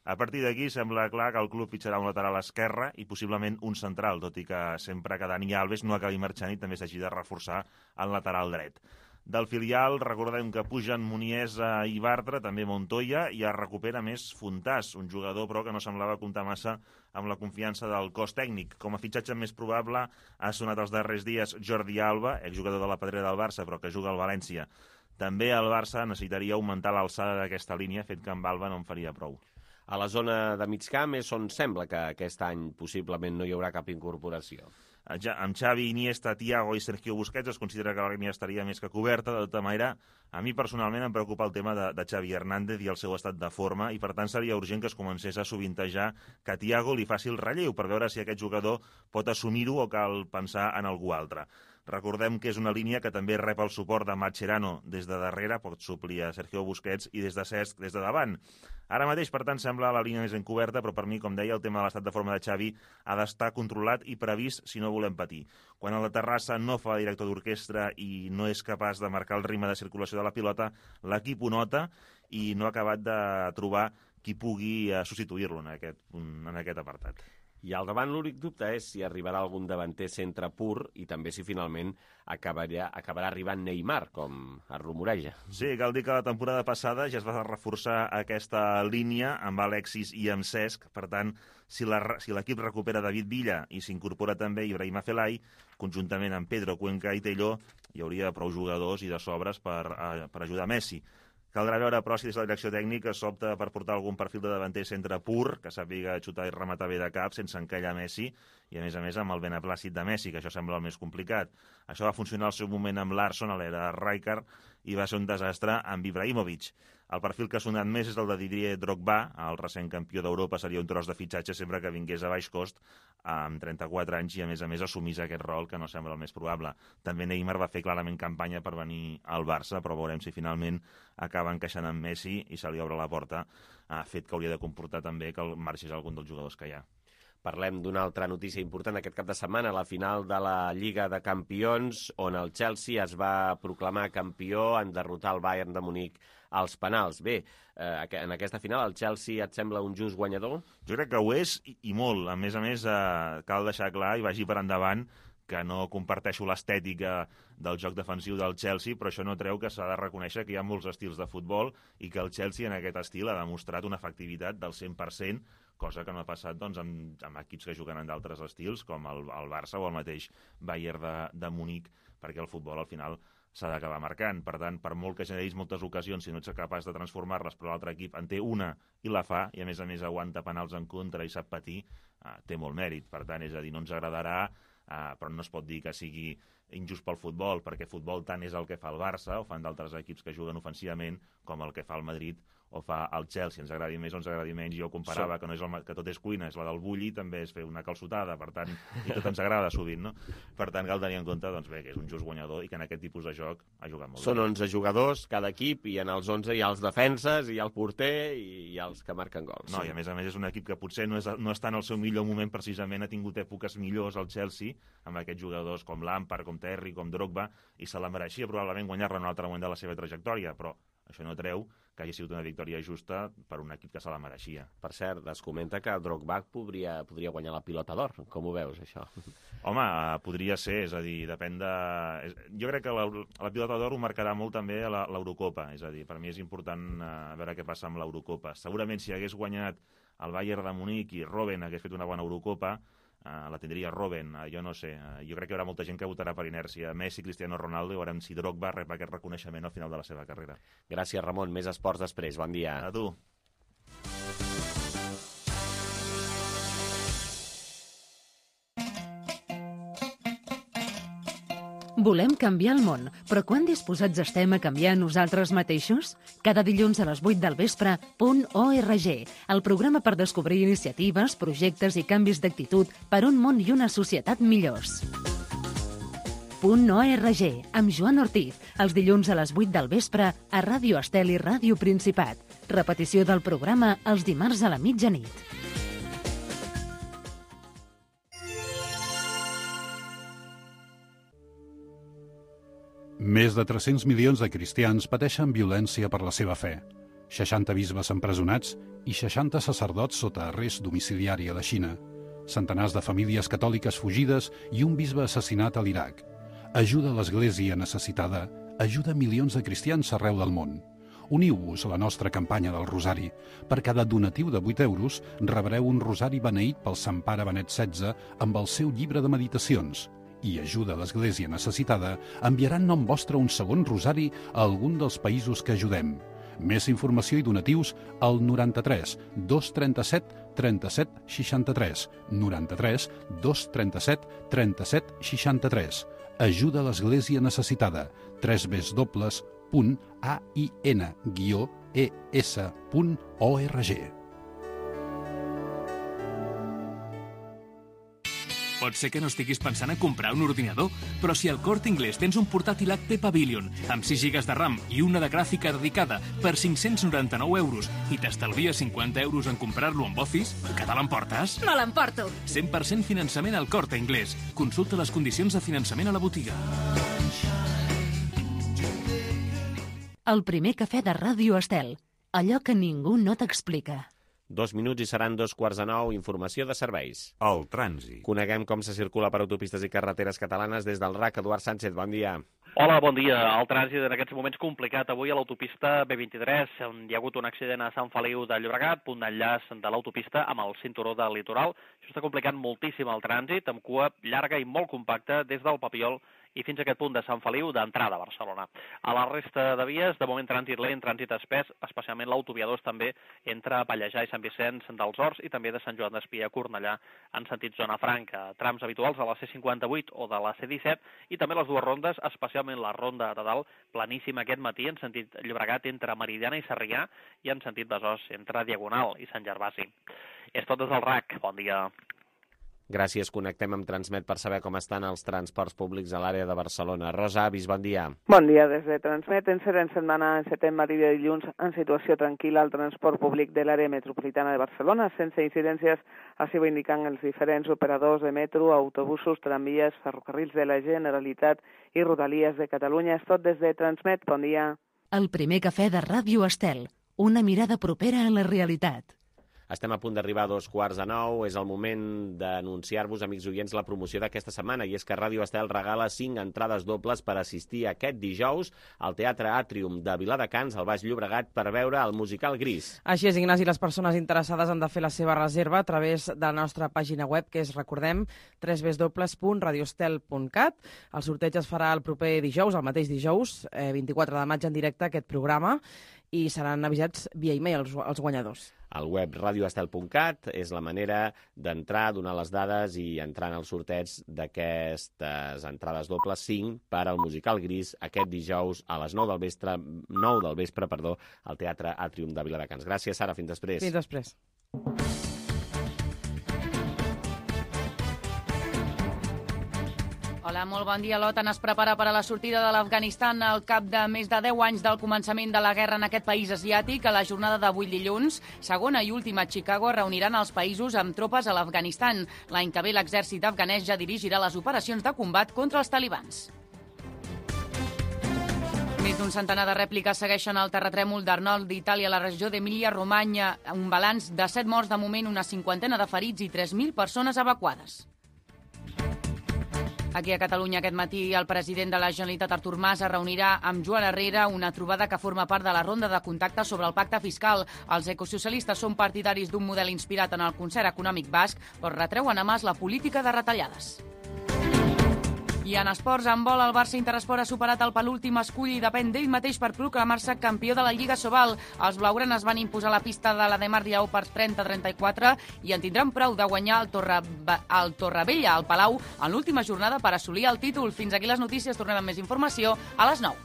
A partir d'aquí sembla clar que el club fitxarà un lateral esquerre i possiblement un central, tot i que sempre que Dani Alves no acabi marxant i també s'hagi de reforçar el lateral dret. Del filial, recordem que pugen Muniesa i Bartra, també Montoya, i es recupera més Fontàs, un jugador però que no semblava comptar massa amb la confiança del cos tècnic. Com a fitxatge més probable ha sonat els darrers dies Jordi Alba, exjugador de la Pedrera del Barça però que juga al València. També el Barça necessitaria augmentar l'alçada d'aquesta línia, fet que amb Alba no en faria prou. A la zona de migcamp és on sembla que aquest any possiblement no hi haurà cap incorporació. Amb Xavi, Iniesta, Thiago i Sergio Busquets es considera que la línia estaria més que coberta. De tota manera, a mi personalment em preocupa el tema de, de Xavi Hernández i el seu estat de forma, i per tant seria urgent que es comencés a sovintejar que Thiago li faci el relleu per veure si aquest jugador pot assumir-ho o cal pensar en algú altre. Recordem que és una línia que també rep el suport de Mascherano des de darrere, pot suplir a Sergio Busquets, i des de Cesc des de davant. Ara mateix, per tant, sembla la línia més encoberta, però per mi, com deia, el tema de l'estat de forma de Xavi ha d'estar controlat i previst si no volem patir. Quan a la Terrassa no fa director d'orquestra i no és capaç de marcar el ritme de circulació de la pilota, l'equip ho nota i no ha acabat de trobar qui pugui substituir-lo en aquest, en aquest apartat. I al davant l'únic dubte és si arribarà algun davanter centre pur i també si finalment acabarà, acabarà arribant Neymar, com es rumoreja. Sí, cal dir que la temporada passada ja es va reforçar aquesta línia amb Alexis i amb Cesc. Per tant, si l'equip si recupera David Villa i s'incorpora també Ibrahima Felay, conjuntament amb Pedro, Cuenca i Tello, hi hauria prou jugadors i de sobres per, per ajudar Messi. Caldrà veure, però, si des de la direcció tècnica s'opta per portar algun perfil de davanter centre pur, que sàpiga xutar i rematar bé de cap, sense encallar Messi, i a més a més amb el beneplàcit de Messi, que això sembla el més complicat. Això va funcionar al seu moment amb Larsson a l'era Rijkaard i va ser un desastre amb Ibrahimovic. El perfil que ha sonat més és el de Didier Drogba, el recent campió d'Europa, seria un tros de fitxatge sempre que vingués a baix cost amb trenta-quatre anys i, a més a més, assumís aquest rol que no sembla el més probable. També Neymar va fer clarament campanya per venir al Barça, però veurem si finalment acaba encaixant amb Messi i se li obre la porta, a fet que hauria de comportar també que el marxés algun dels jugadors que hi ha. Parlem d'una altra notícia important aquest cap de setmana, la final de la Lliga de Campions, on el Chelsea es va proclamar campió en derrotar el Bayern de Munic als penals. Bé, eh, en aquesta final el Chelsea et sembla un just guanyador? Jo crec que ho és, i, i molt. A més a més, eh, cal deixar clar, i vagi per endavant, que no comparteixo l'estètica del joc defensiu del Chelsea, però això no treu que s'ha de reconèixer que hi ha molts estils de futbol i que el Chelsea en aquest estil ha demostrat una efectivitat del cent per cent, cosa que no ha passat doncs, amb, amb equips que juguen en d'altres estils, com el, el Barça o el mateix Bayern de, de Munic, perquè el futbol al final s'ha d'acabar marcant. Per tant, per molt que generis moltes ocasions, si no ets capaç de transformar-les, però l'altre equip en té una i la fa, i a més a més aguanta penals en contra i sap patir, eh, té molt mèrit. Per tant, és a dir, no ens agradarà, eh, però no es pot dir que sigui injust pel futbol, perquè futbol tant és el que fa el Barça, o fan d'altres equips que juguen ofensivament, com el que fa el Madrid o fa el Chelsea. Ens agradi més o ens agradi menys. Jo comparava sí. que, no és el, que tot és cuina, és la del bulli, també és fer una calçotada, per tant, i tot ens agrada sovint, no? Per tant, cal tenir en compte doncs, bé, que és un just guanyador i que en aquest tipus de joc ha jugat molt Són bé. onze jugadors cada equip, i en els onze hi ha els defenses, hi ha el porter i hi ha els que marquen gols. No, sí. I a més a més és un equip que potser no, és, no està en el seu millor moment, precisament ha tingut èpoques millors al Chelsea, amb aquests jugadors com Lampard, com Terry, com Drogba, i se la mereixia probablement guanyar-la en un altre moment de la seva trajectòria, però això no treu que hagi sigut una victòria justa per un equip que se la mereixia. Per cert, es comenta que Drogba podria, podria guanyar la pilota d'or. Com ho veus, això? Home, podria ser, és a dir, depèn de... Jo crec que la, la pilota d'or ho marcarà molt també a l'Eurocopa, és a dir, per mi és important uh, veure què passa amb l'Eurocopa. Segurament si hagués guanyat el Bayern de Munic i Robben hagués fet una bona Eurocopa, Uh, la tindria Robben, uh, jo no sé. Uh, jo crec que hi haurà molta gent que votarà per inèrcia. Messi, Cristiano Ronaldo, i veurem si Drogba rep aquest reconeixement al final de la seva carrera. Gràcies, Ramon. Més esports després. Bon dia. A tu. Volem canviar el món, però quan disposats estem a canviar nosaltres mateixos? Cada dilluns a les vuit del vespre, punt org, el programa per descobrir iniciatives, projectes i canvis d'actitud per un món i una societat millors. Punt org, amb Joan Ortiz, els dilluns a les vuit del vespre a Ràdio Estel i Ràdio Principat. Repetició del programa els dimarts a la mitjanit. Més de tres-cents milions de cristians pateixen violència per la seva fe. seixanta bisbes empresonats i seixanta sacerdots sota arrest domiciliari a la Xina. Centenars de famílies catòliques fugides i un bisbe assassinat a l'Iraq. Ajuda l'Església necessitada, ajuda milions de cristians arreu del món. Uniu-vos a la nostra campanya del Rosari. Per cada donatiu de vuit euros rebreu un rosari beneït pel Sant Pare Benet setze amb el seu llibre de meditacions. I ajuda l'Església necessitada enviarà en nom vostre un segon rosari a algun dels països que ajudem. Més informació i donatius al noranta-tres dos trenta-set trenta-set seixanta-tres, noranta-tres dos trenta-set trenta-set seixanta-tres. Ajuda l'Església necessitada. tres w punt ain guió es punt org. Pot ser que no estiguis pensant en comprar un ordinador, però si al Corte Inglés tens un portàtil H P Pavilion amb sis gigas de RAM i una de gràfica dedicada per cinc-cents noranta-nou euros i t'estalvies cinquanta euros en comprar-lo amb Office, que te l'emportes? Me l'emporto! cent per cent finançament al Corte Inglés. Consulta les condicions de finançament a la botiga. El primer cafè de Ràdio Estel. Allò que ningú no t'explica. Dos minuts i seran dos quarts de nou. Informació de serveis. El trànsit. Coneguem com se circula per autopistes i carreteres catalanes des del R A C. Eduard Sánchez, bon dia. Hola, bon dia. El trànsit en aquests moments complicat avui a l'autopista B vint-i-tres, on hi ha hagut un accident a Sant Feliu de Llobregat, punt d'enllaç de l'autopista amb el cinturó del litoral. Això està complicant moltíssim el trànsit, amb cua llarga i molt compacta des del Papiol i fins a aquest punt de Sant Feliu d'entrada a Barcelona. A la resta de vies, de moment trànsit lent, trànsit espès, especialment l'autovia dos també entre Pallejà i Sant Vicenç dels Horts i també de Sant Joan d'Espí a Cornellà en sentit zona franca. Trams habituals de la C cinquanta-vuit o de la C disset i també les dues rondes, especialment la ronda de dalt, planíssima aquest matí en sentit Llobregat entre Meridiana i Sarrià i en sentit Besòs entre Diagonal i Sant Gervasi. És tot des del R A C. Bon dia. Gràcies. Connectem amb Transmet per saber com estan els transports públics a l'àrea de Barcelona. Rosa Avis, bon dia. Bon dia des de Transmet. Encerem setmana en setembre i de dilluns en situació tranquil·la al transport públic de l'àrea metropolitana de Barcelona, sense incidències, així ho indiquen els diferents operadors de metro, autobusos, tramvies, ferrocarrils de la Generalitat i Rodalies de Catalunya. És tot des de Transmet. Bon dia. El primer cafè de Ràdio Estel. Una mirada propera a la realitat. Estem a punt d'arribar a dos quarts de nou. És el moment d'anunciar-vos, amics oients, la promoció d'aquesta setmana, i és que Ràdio Estel regala cinc entrades dobles per assistir aquest dijous al Teatre Àtrium de Viladecans, al Baix Llobregat, per veure el musical Gris. Així és, Ignasi, les persones interessades han de fer la seva reserva a través de la nostra pàgina web, que és, recordem, w w w punt radiostel punt cat. El sorteig es farà el proper dijous, el mateix dijous, eh, vint-i-quatre de maig, en directe, aquest programa, i seran avisats via e-mail els, els guanyadors. El web radioestel punt cat és la manera d'entrar, donar les dades i entrar en el sorteig d'aquestes entrades dobles, cinc per al musical Gris, aquest dijous a les nou del vespre, nou del vespre, perdó, al Teatre Àtrium de Viladecans. Gràcies, Sara. Fins després. Fins després. Hola, molt bon dia. L'OTAN es prepara per a la sortida de l'Afganistan al cap de més de deu anys del començament de la guerra en aquest país asiàtic. A la jornada d'avui dilluns, segona i última a Chicago, reuniran els països amb tropes a l'Afganistan. L'any que ve l'exèrcit afganès ja dirigirà les operacions de combat contra els talibans. Més d'un centenar de rèpliques segueixen el terratrèmol d'Arnold d'Itàlia a la regió d'Emília-Romanya. Un balanç de set morts de moment, una cinquantena de ferits i tres mil persones evacuades. Aquí a Catalunya aquest matí el president de la Generalitat, Artur Mas, es reunirà amb Joan Herrera, una trobada que forma part de la ronda de contacte sobre el pacte fiscal. Els ecosocialistes són partidaris d'un model inspirat en el concert econòmic basc, però retreuen a Mas la política de retallades. I en esports, en vol, el Barça Interesport ha superat el penúltim escull i depèn d'ell mateix per proclamar-se campió de la Lliga Sobal. Els blaugranes van imposar la pista de la Demar Lleó per trenta a trenta-quatre i en tindran prou de guanyar el, Torre... el Torrevella al Palau en l'última jornada per assolir el títol. Fins aquí les notícies. Tornem amb més informació a les nou.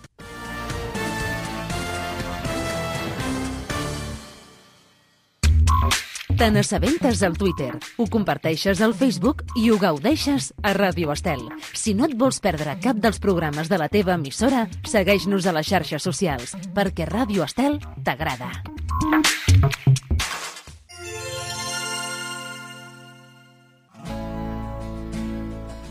Te n'assabentes al Twitter, ho comparteixes al Facebook i ho gaudeixes a Ràdio Estel. Si no et vols perdre cap dels programes de la teva emissora, segueix-nos a les xarxes socials, perquè Ràdio Estel t'agrada.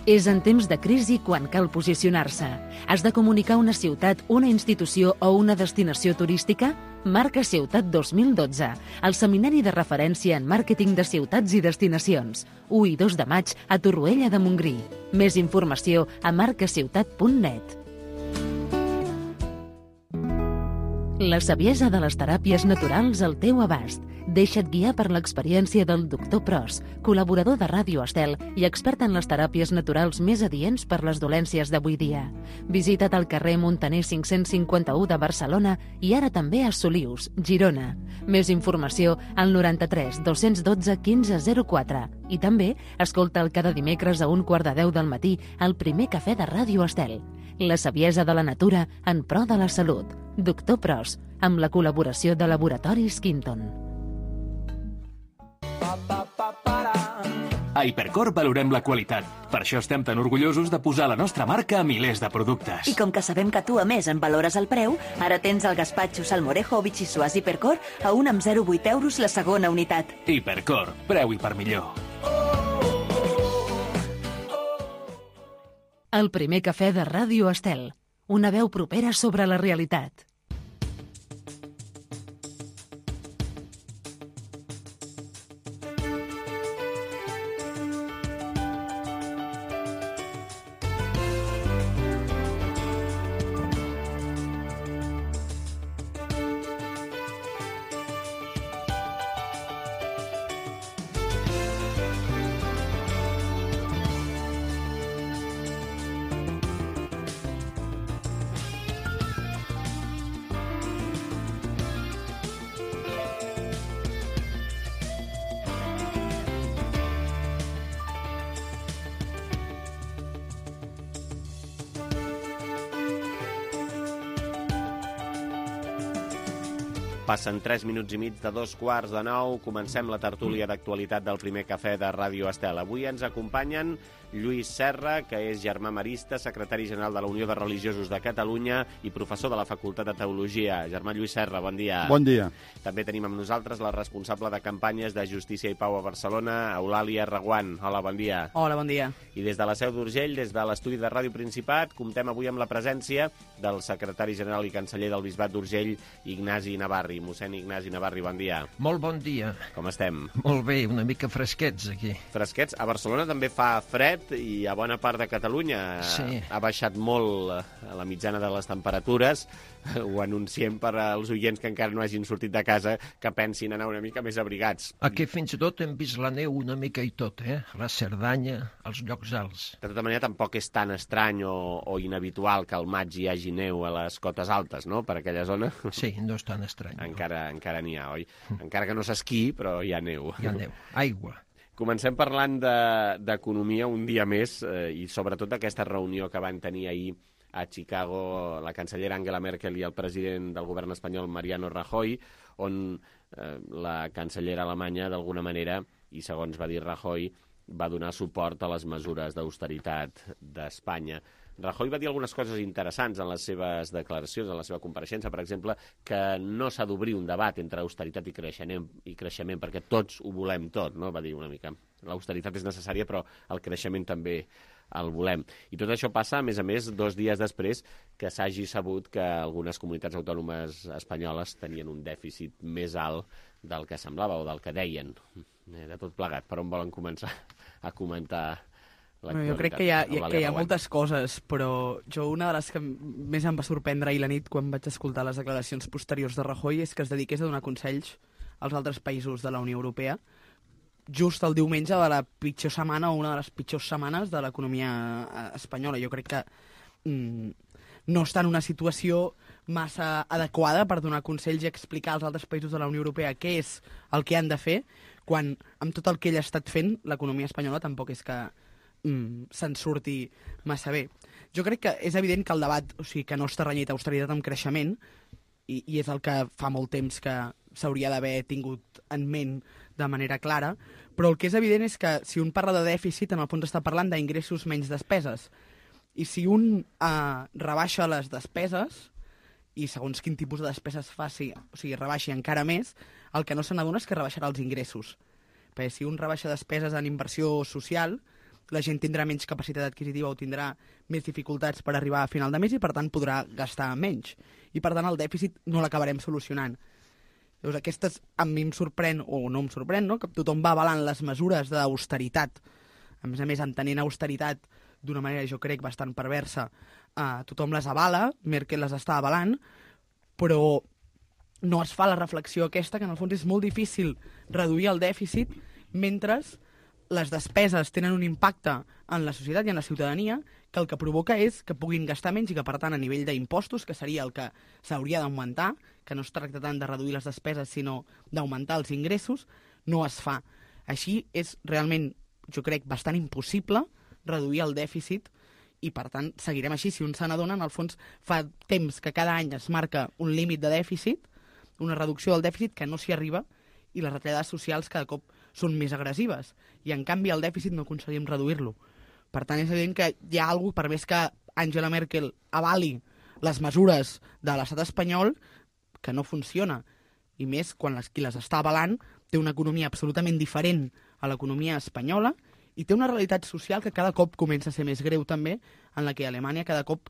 És en temps de crisi quan cal posicionar-se. Has de comunicar una ciutat, una institució o una destinació turística? Marca Ciutat dos mil dotze, el seminari de referència en màrqueting de ciutats i destinacions. u i dos de maig a Torroella de Montgrí. Més informació a marcaciutat punt net. La saviesa de les teràpies naturals al teu abast. Deixa't guiar per l'experiència del doctor Pros, col·laborador de Ràdio Estel i expert en les teràpies naturals més adients per les dolències d'avui dia. Visita't al carrer Montaner cinc-cents cinquanta-u de Barcelona i ara també a Solius, Girona. Més informació al noranta-tres dos-cents dotze quinze zero quatre. I també escolta'l cada dimecres a un quart de deu del matí al primer cafè de Ràdio Estel. La saviesa de la natura en pro de la salut. Doctor Pros, amb la col·laboració de Laboratoris Quinton. A Hipercor valorem la qualitat. Per això estem tan orgullosos de posar la nostra marca a milers de productes. I com que sabem que tu, a més, en valores el preu, ara tens el gaspatxo, salmorejo o bitxissuàs Hipercor a un amb zero coma vuit euros la segona unitat. Hipercor, preu i per millor. El primer cafè de Ràdio Estel. Una veu propera sobre la realitat. Passen tres minuts i mig de dos quarts de nou. Comencem la tertúlia d'actualitat del primer cafè de Ràdio Estel. Avui ens acompanyen Lluís Serra, que és germà marista, secretari general de la Unió de Religiosos de Catalunya i professor de la Facultat de Teologia. Germà Lluís Serra, bon dia. Bon dia. També tenim amb nosaltres la responsable de campanyes de Justícia i Pau a Barcelona, Eulàlia Reguant. Hola, bon dia. Hola, bon dia. I des de la Seu d'Urgell, des de l'estudi de Ràdio Principat, comptem avui amb la presència del secretari general i canceller del Bisbat d'Urgell, Ignasi Navarri. Mossèn Ignasi Navarri, bon dia. Molt bon dia. Com estem? Molt bé, una mica fresquets aquí. Fresquets? A Barcelona també fa fred i a bona part de Catalunya sí. ha baixat molt la mitjana de les temperatures. Ho anunciem per als oients que encara no hagin sortit de casa, que pensin anar una mica més abrigats. Aquí fins i tot hem vist la neu una mica i tot, eh? La Cerdanya, els llocs alts. De tota manera, tampoc és tan estrany o, o inhabitual que al maig hi hagi neu a les cotes altes, no?, per aquella zona. Sí, no és tan estrany. Encara, no. encara n'hi ha, oi? Encara que no s'esquí, però hi ha neu. Hi ha neu, aigua. Comencem parlant d'economia de, un dia més eh, i sobretot d'aquesta reunió que van tenir ahir a Chicago la cancellera Angela Merkel i el president del govern espanyol Mariano Rajoy, on eh, la cancellera alemanya d'alguna manera, i segons va dir Rajoy, va donar suport a les mesures d'austeritat d'Espanya. Rajoy va dir algunes coses interessants en les seves declaracions, en la seva compareixença, per exemple, que no s'ha d'obrir un debat entre austeritat i creixement, i creixement, perquè tots ho volem tot, no? Va dir una mica. L'austeritat és necessària, però el creixement també el volem. I tot això passa, a més a més, dos dies després que s'hagi sabut que algunes comunitats autònomes espanyoles tenien un dèficit més alt del que semblava o del que deien. De tot plegat, per on volen començar a comentar l'actualitat? Jo crec que hi ha, que hi ha moltes coses, però jo una de les que més em va sorprendre ahir la nit quan vaig escoltar les declaracions posteriors de Rajoy és que es dediqués a donar consells als altres països de la Unió Europea just el diumenge de la pitjor setmana o una de les pitjors setmanes de l'economia espanyola. Jo crec que mm, no està en una situació massa adequada per donar consells i explicar als altres països de la Unió Europea què és el que han de fer, quan amb tot el que ell ha estat fent, l'economia espanyola tampoc és que mm, se'n surti massa bé. Jo crec que és evident que el debat, o sigui, que no està renyit austeritat amb creixement, i, i és el que fa molt temps que s'hauria d'haver tingut en ment de manera clara, però el que és evident és que si un parla de dèficit, en el fons està parlant d'ingressos menys despeses. I si un eh, rebaixa les despeses, i segons quin tipus de despeses faci, o sigui, rebaixi encara més, el que no se n'adona és que rebaixarà els ingressos. Perquè si un rebaixa despeses en inversió social, la gent tindrà menys capacitat adquisitiva o tindrà més dificultats per arribar a final de mes i, per tant, podrà gastar menys. I, per tant, el dèficit no l'acabarem solucionant. Llavors, aquestes a mi em sorprèn, o no em sorprèn, no?, que tothom va avalant les mesures d'austeritat. A més a més, entenent austeritat d'una manera, jo crec, bastant perversa, eh, tothom les avala, Merkel les està avalant, però no es fa la reflexió aquesta, que en el fons és molt difícil reduir el dèficit mentre les despeses tenen un impacte en la societat i en la ciutadania que el que provoca és que puguin gastar menys i que, per tant, a nivell d'impostos, que seria el que s'hauria d'augmentar, que no es tracta tant de reduir les despeses, sinó d'augmentar els ingressos, no es fa. Així és realment, jo crec, bastant impossible reduir el dèficit i, per tant, seguirem així. Si un se n'adona, en el fons, fa temps que cada any es marca un límit de dèficit, una reducció del dèficit que no s'hi arriba, i les retallades socials cada cop són més agressives. I, en canvi, el dèficit no aconseguim reduir-lo. Per tant, és evident que hi ha alguna cosa, per més que Angela Merkel avali les mesures de l'estat espanyol, que no funciona. I més quan les, qui les està avalant té una economia absolutament diferent a l'economia espanyola i té una realitat social que cada cop comença a ser més greu també, en la que a Alemanya cada cop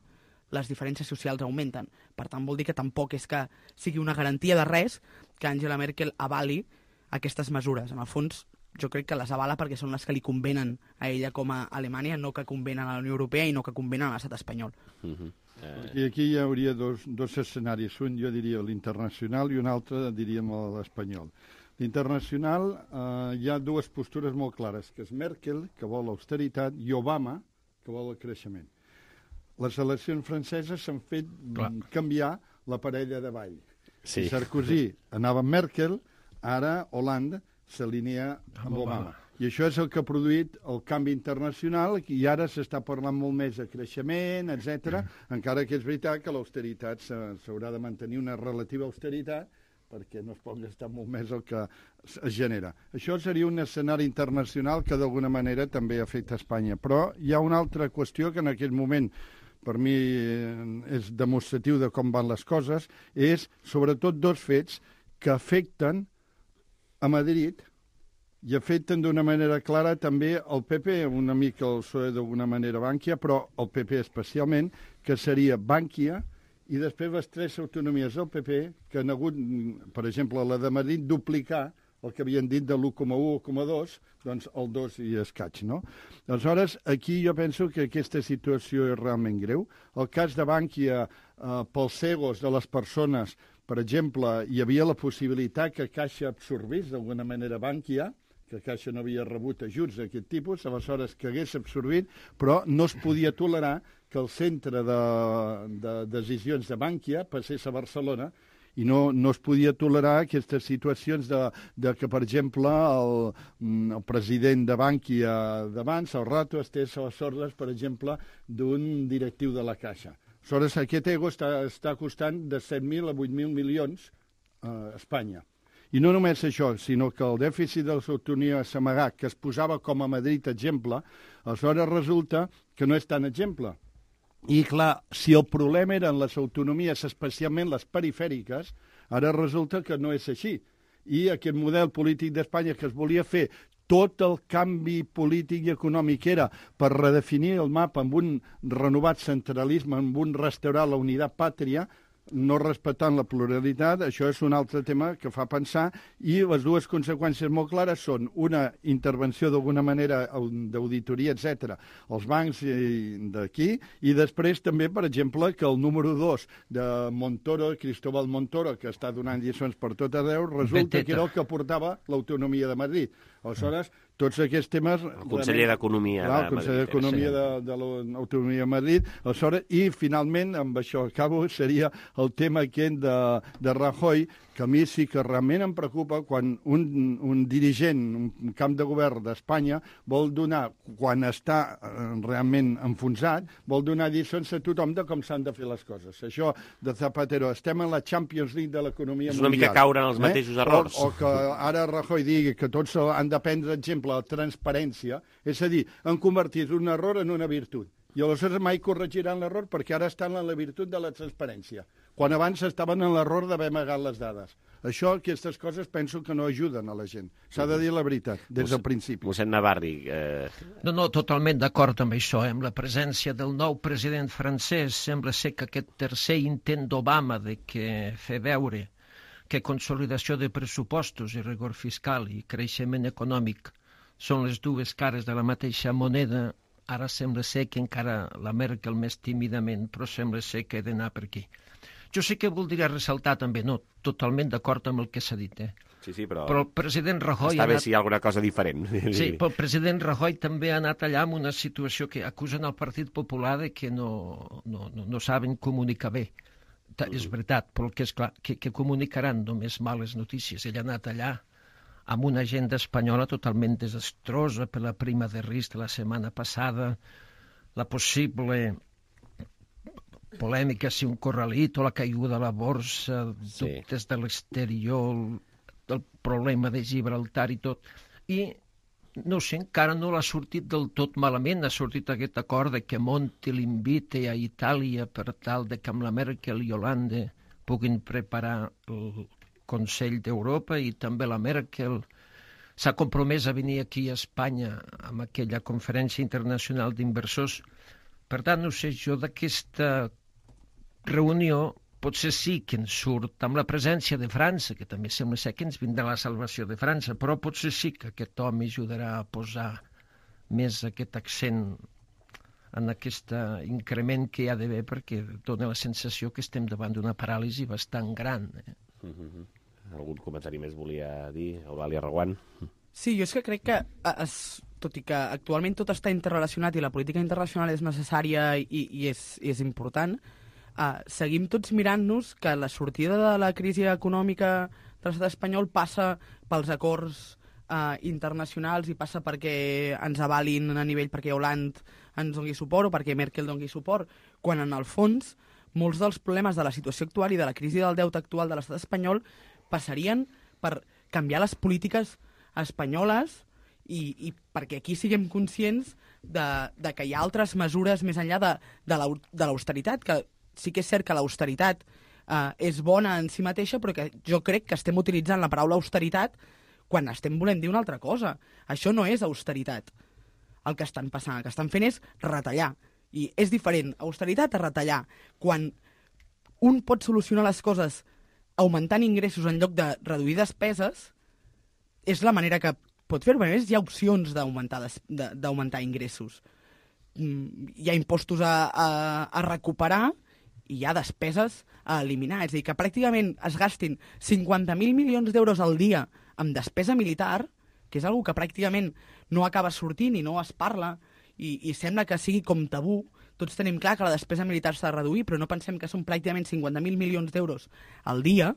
les diferències socials augmenten. Per tant, vol dir que tampoc és que sigui una garantia de res que Angela Merkel avali aquestes mesures. En el fons, jo crec que les avala perquè són les que li convenen a ella com a Alemanya, no que convenen a la Unió Europea i no que convenen a l'estat espanyol. Uh-huh. eh... I aquí hi hauria dos, dos escenaris. Un, jo diria, l'internacional i un altre, diríem, l'espanyol. L'internacional, eh, hi ha dues postures molt clares, que és Merkel, que vol l'austeritat, i Obama, que vol el creixement. Les eleccions franceses s'han fet Clar. canviar la parella de ball. Sí. Sarkozy anava amb Merkel, ara Hollande s'alinea amb Obama. I això és el que ha produït el canvi internacional i ara s'està parlant molt més de creixement, etcètera. Mm. Encara que és veritat que l'austeritat s'haurà de mantenir una relativa austeritat perquè no es pot gastar molt més el que es genera. Això seria un escenari internacional que d'alguna manera també afecta Espanya. Però hi ha una altra qüestió que en aquest moment per mi és demostratiu de com van les coses, és sobretot dos fets que afecten a Madrid i afecten d'una manera clara també el P P, una mica el P S O E d'alguna manera Bankia, però el P P especialment, que seria Bankia, i després les tres autonomies del P P, que han hagut, per exemple, la de Madrid, duplicar el que havien dit de l'u coma u o l'u coma dos, doncs el dos i escaig, no? Aleshores, aquí jo penso que aquesta situació és realment greu. El cas de Bankia, eh, pels cegos de les persones, per exemple, hi havia la possibilitat que Caixa absorbís d'alguna manera Bankia, que Caixa no havia rebut ajuts d'aquest tipus, aleshores que hagués absorbit, però no es podia tolerar que el centre de, de decisions de Bankia passés a Barcelona, i no, no es podia tolerar aquestes situacions de, de que, per exemple, el, el president de Bankia d'abans, el Rato, estés a les ordres, per exemple, d'un directiu de la Caixa. Aleshores, aquest ego està, està costant de set mil a vuit mil milions a Espanya. I no només això, sinó que el dèficit de les autonomies amagat, que es posava com a Madrid exemple, aleshores resulta que no és tan exemple. I, clar, si el problema eren les autonomies, especialment les perifèriques, ara resulta que no és així. I aquest model polític d'Espanya que es volia fer, tot el canvi polític i econòmic era per redefinir el mapa amb un renovat centralisme, amb un restaurar la unitat pàtria, no respectant la pluralitat, això és un altre tema que fa pensar, i les dues conseqüències molt clares són una intervenció d'alguna manera d'auditoria, etcètera, als bancs d'aquí, i després també, per exemple, que el número dos de Montoro, Cristóbal Montoro, que està donant lliçons per tot arreu, resulta que era el que portava l'autonomia de Madrid. Aleshores, tots aquests temes... El conseller d'Economia de Madrid. El conseller d'Economia de, de l'Autonomia de Madrid. Aleshores, i, finalment, amb això acabo, seria el tema aquest de, de Rajoy, que a mi sí que realment em preocupa quan un, un dirigent, un camp de govern d'Espanya, vol donar, quan està eh, realment enfonsat, vol donar lliçons a tothom de com s'han de fer les coses. Això de Zapatero, estem en la Champions League de l'economia mundial. És una mica caure en els mateixos eh? errors. O, o que ara Rajoy digui que tots han de prendre exemple la transparència, és a dir, han convertit un error en una virtut. I aleshores mai corregiran l'error perquè ara estan en la virtut de la transparència, quan abans estaven en l'error d'haver amagat les dades. Això, aquestes coses, penso que no ajuden a la gent. S'ha de dir la veritat, des del principi. Mossèn Navarri... Eh... No, no, totalment d'acord amb això. Amb la presència del nou president francès, sembla ser que aquest tercer intent d'Obama de que fer veure que consolidació de pressupostos i rigor fiscal i creixement econòmic són les dues cares de la mateixa moneda. Ara sembla ser que encara la Merkel més tímidament, però sembla ser que he d'anar per aquí. Jo sí que voldria ressaltar també, no, totalment d'acord amb el que s'ha dit, eh? Sí, sí, però... Però el president Rajoy... Està bé anat... si hi ha alguna cosa diferent. Sí, però el president Rajoy també ha anat allà amb una situació que acusen al Partit Popular de que no, no, no, no saben comunicar bé. Mm. És veritat, però el que és clar, que, que comunicaran només males notícies. Ell ha anat allà amb una agenda espanyola totalment desastrosa per la prima de risc de la setmana passada, la possible polèmica si un corralito, la caiguda de la borsa, sí. Dubtes de l'exterior, el problema de Gibraltar i tot. I, no sé, encara no l'ha sortit del tot malament, ha sortit aquest acord de que Monti l'invite a Itàlia per tal de que amb la Merkel i Hollande puguin preparar el Consell d'Europa, i també la Merkel s'ha compromès a venir aquí a Espanya amb aquella conferència internacional d'inversors. Per tant, no sé, jo d'aquesta reunió potser sí que en surt amb la presència de França, que també sembla ser que ens vindrà la salvació de França, però potser sí que aquest home ajudarà a posar més aquest accent en aquest increment que hi ha d'haver, perquè dona la sensació que estem davant d'una paràlisi bastant gran, eh? Mm-hmm. Algun comentari més volia dir, Eulàlia Reguant? Sí, jo és que crec que, es, tot i que actualment tot està interrelacionat i la política internacional és necessària i, i, és, i és important, uh, seguim tots mirant-nos que la sortida de la crisi econòmica de l'estat espanyol passa pels acords uh, internacionals i passa perquè ens avalin a nivell, perquè Hollande ens doni suport o perquè Merkel doni suport, quan en el fons molts dels problemes de la situació actual i de la crisi del deute actual de l'estat espanyol passarien per canviar les polítiques espanyoles i, i perquè aquí siguem conscients de, de que hi ha altres mesures més enllà de, de l'austeritat, que sí que és cert que l'austeritat eh, és bona en si mateixa, però que jo crec que estem utilitzant la paraula austeritat quan estem volent dir una altra cosa. Això no és austeritat, el que estan passant. El que estan fent és retallar. I és diferent, austeritat a retallar. Quan un pot solucionar les coses augmentant ingressos en lloc de reduir despeses, és la manera que pot fer-ho. A més, hi ha opcions d'augmentar d'augmentar ingressos. Hi ha impostos a, a, a recuperar i hi ha despeses a eliminar. És a dir, que pràcticament es gastin cinquanta mil milions d'euros al dia amb despesa militar, que és una que pràcticament no acaba sortint i no es parla, i, i sembla que sigui com tabú. Tots tenim clar que la despesa militar s'ha de reduir, però no pensem que són pràcticament cinquanta mil milions d'euros al dia.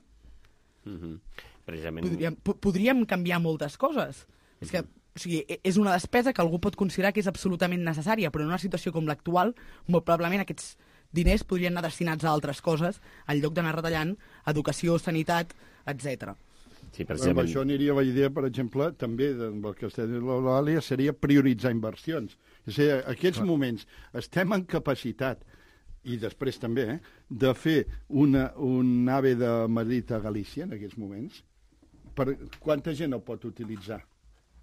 Mm-hmm. Precisament... Podríem, podríem canviar moltes coses. Mm-hmm. És que, o sigui, és una despesa que algú pot considerar que és absolutament necessària, però en una situació com l'actual, molt probablement aquests diners podrien anar destinats a altres coses, en lloc d'anar retallant educació, sanitat, etcètera. Sí, precisament... Amb això aniria la idea, per exemple, també del que està dient l'Eulàlia, seria prioritzar inversions. És a dir, en aquests Clar. moments estem en capacitat, i després també, eh, de fer una, un AVE de Madrid a Galícia, en aquests moments. Per quanta gent ho pot utilitzar?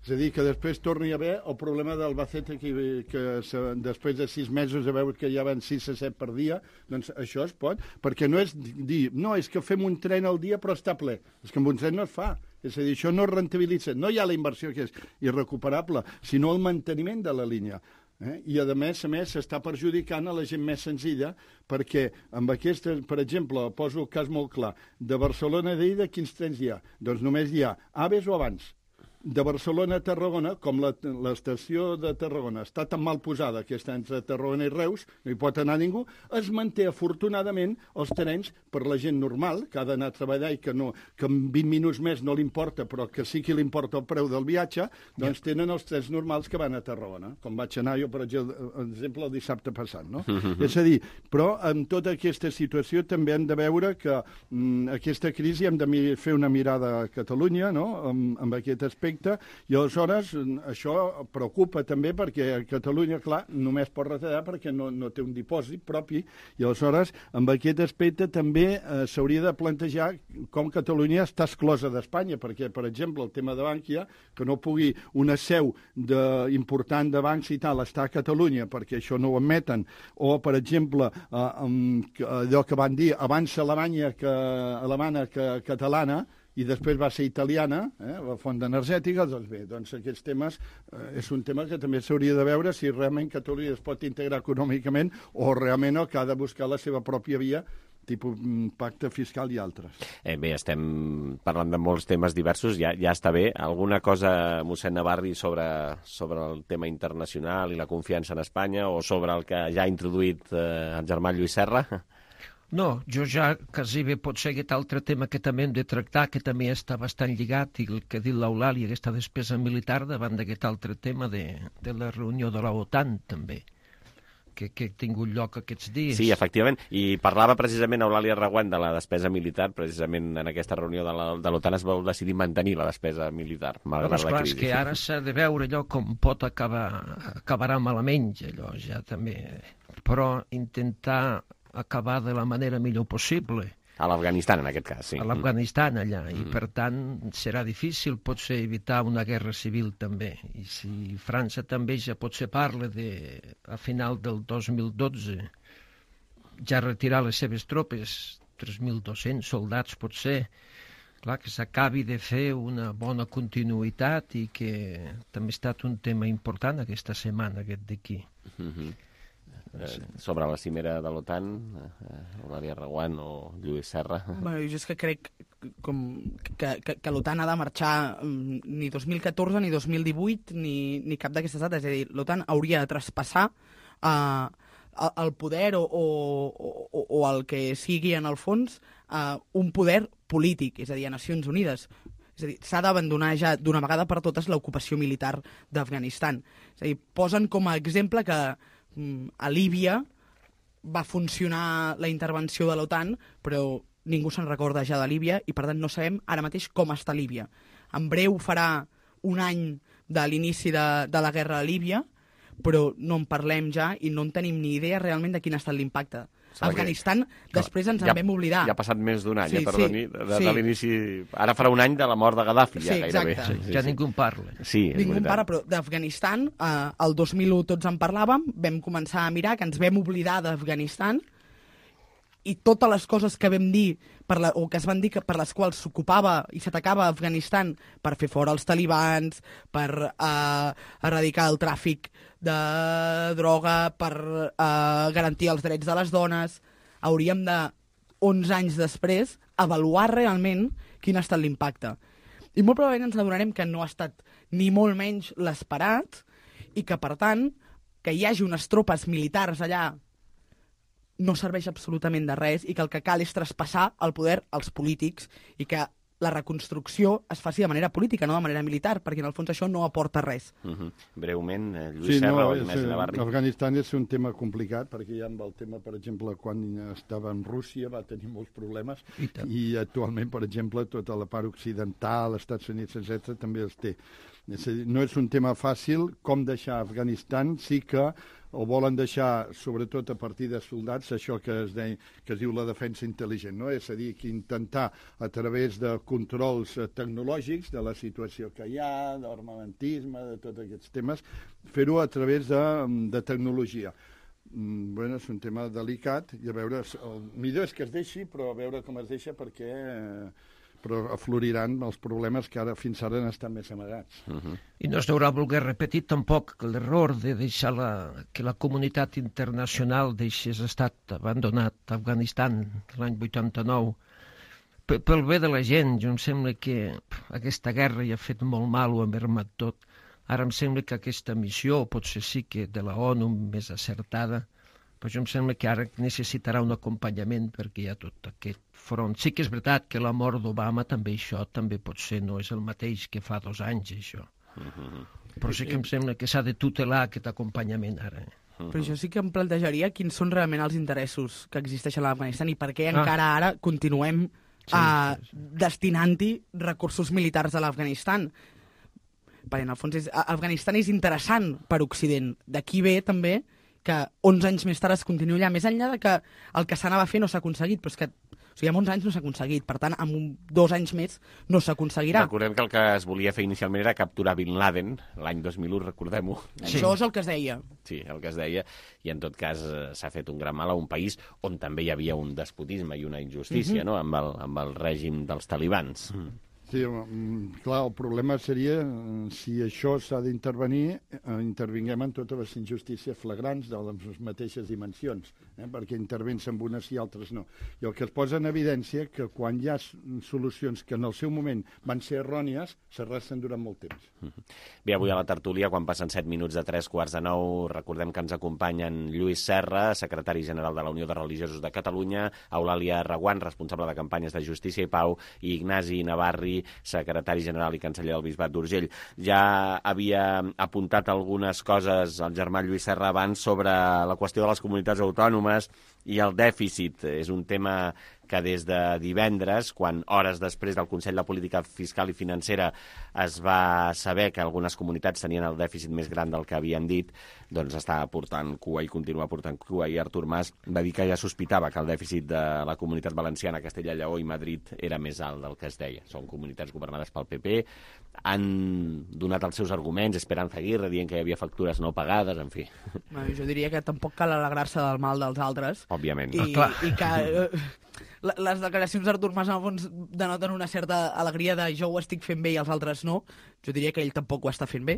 És a dir, que després torni a haver el problema d'Albacete, que, que se, després de sis mesos a veure que ja van sis a set per dia, doncs això es pot, perquè no és dir, no, és que fem un tren al dia però està ple. És que amb un tren no es fa. És a dir, això no es rentabilitza. No hi ha la inversió que és irrecuperable, sinó el manteniment de la línia. Eh? I, a més a més, s'està perjudicant a la gent més senzilla, perquè amb aquesta, per exemple, poso el cas molt clar, de Barcelona a Lleida, quins trens hi ha? Doncs només hi ha aves o abans. De Barcelona a Tarragona, com l'estació de Tarragona està tan mal posada que està entre Tarragona i Reus, no hi pot anar ningú, es manté afortunadament els trens per la gent normal, que ha d'anar a treballar i que, no, que en vint minuts més no li importa, però que sí que li importa el preu del viatge, doncs tenen els trens normals que van a Tarragona, com vaig anar jo, per exemple, el dissabte passat. No? Mm-hmm. És a dir, però en tota aquesta situació també hem de veure que mm, aquesta crisi hem de fer una mirada a Catalunya, no? amb, amb aquest aspecte, i aleshores això preocupa també perquè a Catalunya, clar, només pot retallar perquè no, no té un dipòsit propi, i aleshores amb aquest aspecte també eh, s'hauria de plantejar com Catalunya està exclosa d'Espanya, perquè, per exemple, el tema de Bànquia, que no pugui una seu de, important de bancs i tal estar a Catalunya perquè això no ho admeten, o, per exemple, eh, allò que van dir abans Alemanya que alemana que catalana, i després va ser italiana, eh, la font energètica, doncs bé, doncs aquests temes eh, és un tema que també s'hauria de veure si realment Catalunya es pot integrar econòmicament o realment no, que ha de buscar la seva pròpia via, tipus pacte fiscal i altres. Eh, bé, estem parlant de molts temes diversos, ja, ja està bé. Alguna cosa, mossèn Navarri, sobre, sobre el tema internacional i la confiança en Espanya o sobre el que ja ha introduït eh, el germà Lluís Serra? No, jo ja quasi bé pot ser aquest altre tema que també hem de tractar, que també està bastant lligat, i el que ha dit l'Eulàlia, aquesta despesa militar davant d'aquest altre tema de, de la reunió de l'OTAN, també, que, que ha tingut lloc aquests dies. Sí, efectivament, i parlava precisament Eulàlia Reguant de la despesa militar, precisament en aquesta reunió de l'OTAN es va decidir mantenir la despesa militar, malgrat no, la crisi. És que ara s'ha de veure allò com pot acabar, acabarà malament, allò ja també, però intentar acabar de la manera millor possible. A l'Afganistan, en aquest cas, sí. A l'Afganistan, allà, mm. i per tant serà difícil, potser, evitar una guerra civil també. I si França també ja potser parla de, a final del dos mil dotze, ja retirar les seves tropes, tres mil dos-cents soldats potser, clar, que s'acabi de fer una bona continuïtat i que també ha estat un tema important aquesta setmana, aquest d'aquí. Mm-hmm. Eh, sobre la cimera de l'OTAN, eh, Eulàlia Reguant o Lluís Serra? Bueno, jo és que crec com que, que, que l'OTAN ha de marxar um, ni dos mil catorze, ni dos mil divuit, ni, ni cap d'aquestes dates. És a dir, l'OTAN hauria de traspassar uh, el poder o, o, o, o el que sigui en el fons uh, un poder polític, és a dir, a Nacions Unides. És a dir, s'ha d'abandonar ja d'una vegada per totes l'ocupació militar d'Afganistan. És a dir, posen com a exemple que a Líbia va funcionar la intervenció de l'OTAN, però ningú se'n recorda ja de Líbia i, per tant, no sabem ara mateix com està Líbia. En breu farà un any de l'inici de, de la guerra a Líbia, però no en parlem ja i no en tenim ni idea realment de quin ha estat l'impacte. Afganistan, que, després ens en ja, vam oblidar. Ja ha passat més d'un any, sí, eh, perdoni, sí, de, de, sí. de l'inici... Ara farà un any de la mort de Gaddafi, sí, ja gairebé. Sí, sí, ja sí. Ningú en parla. Sí, ningú en parla, però d'Afganistan, eh, el dos mil u tots en parlàvem, vam començar a mirar que ens vam oblidar d'Afganistan i totes les coses que vam dir, per la, o que es van dir que per les quals s'ocupava i s'atacava Afganistan per fer fora els talibans, per eh, erradicar el tràfic de droga, per eh, garantir els drets de les dones, hauríem de, onze anys després, avaluar realment quin ha estat l'impacte. I molt probablement ens adonarem que no ha estat ni molt menys l'esperat i que, per tant, que hi hagi unes tropes militars allà no serveix absolutament de res i que el que cal és traspassar el poder als polítics i que la reconstrucció es faci de manera política, no de manera militar, perquè en el fons això no aporta res. Uh-huh. Breument, eh, Lluís sí, Serra no, o Ignasi Navarri. Afganistan és un tema complicat, perquè ja amb el tema, per exemple, quan estava en Rússia va tenir molts problemes i, i actualment, per exemple, tota la part occidental, Estats Units, etcètera, també els té. És a dir, no és un tema fàcil com deixar Afganistan, sí que o volen deixar, sobretot a partir de soldats, això que es, de, que es diu la defensa intel·ligent, no? És a dir, que intentar a través de controls tecnològics de la situació que hi ha, d'armamentisme, de tots aquests temes, fer-ho a través de, de tecnologia. Mm, bueno, és un tema delicat i a veure, el millor és que es deixi, però a veure com es deixa perquè... Eh, però afloriran els problemes que ara fins ara han estat més amagats. Uh-huh. I no es deurà voler repetir tampoc l'error de deixar la, que la comunitat internacional deixés estat abandonat a Afganistan l'any vuitanta-nou. P pel bé de la gent, jo em sembla que aquesta guerra ja ha fet molt mal, ho ha mermat tot. Ara em sembla que aquesta missió, potser sí que de la ONU més acertada, però jo em sembla que ara necessitarà un acompanyament perquè hi ha tot aquest front. Sí que és veritat que la mort d'Obama també això també potser no és el mateix que fa dos anys, això. Uh-huh. Però sí que em sembla que s'ha de tutelar aquest acompanyament ara. Uh-huh. Però jo sí que em plantejaria quins són realment els interessos que existeixen a l'Afganistan i per què ah. encara ara continuem sí, uh, sí, sí. destinant-hi recursos militars a l'Afganistan. Perquè en el fons és, Afganistan és interessant per Occident. D'aquí ve també que onze anys més tard es continua allà, més enllà de que el que s'anava a fer no s'ha aconseguit, però és que o sigui, en onze anys no s'ha aconseguit, per tant, en un, dos anys més no s'aconseguirà. Recordem que el que es volia fer inicialment era capturar Bin Laden, l'any dos mil u, recordem-ho. Sí. Això és el que es deia. Sí, el que es deia, i en tot cas eh, s'ha fet un gran mal a un país on també hi havia un despotisme i una injustícia, mm-hmm. no?, amb el, amb el règim dels talibans. Mm. Sí, clar, el problema seria si això s'ha d'intervenir, eh, intervinguem en totes les injustícies flagrants de les mateixes dimensions, eh, perquè intervens amb unes i altres no. I el que es posa en evidència que quan hi ha solucions que en el seu moment van ser errònies, s'arrastren durant molt temps. Bé, avui a la tertúlia, quan passen set minuts de tres quarts de nou, recordem que ens acompanyen Lluís Serra, secretari general de la Unió de Religiosos de Catalunya, Eulàlia Reguant, responsable de campanyes de Justícia i Pau, i Ignasi Navarri, secretari general i canceller del Bisbat d'Urgell. Ja havia apuntat algunes coses el germà Lluís Serra abans sobre la qüestió de les comunitats autònomes i el dèficit. És un tema que des de divendres, quan hores després del Consell de Política Fiscal i Financera es va saber que algunes comunitats tenien el dèficit més gran del que havien dit, doncs està portant cua i continua portant cua. I Artur Mas va dir que ja sospitava que el dèficit de la Comunitat Valenciana, Castella i Lleó i Madrid era més alt del que es deia. Són comunitats governades pel P P, han donat els seus arguments, Esperanza Aguirre dient que hi havia factures no pagades, en fi. Bueno, jo diria que tampoc cal alegrar-se del mal dels altres. Òbviament. I, ah, i que eh, les declaracions d'Artur Mas en el fons denoten una certa alegria de jo ho estic fent bé i els altres no. Jo diria que ell tampoc ho està fent bé,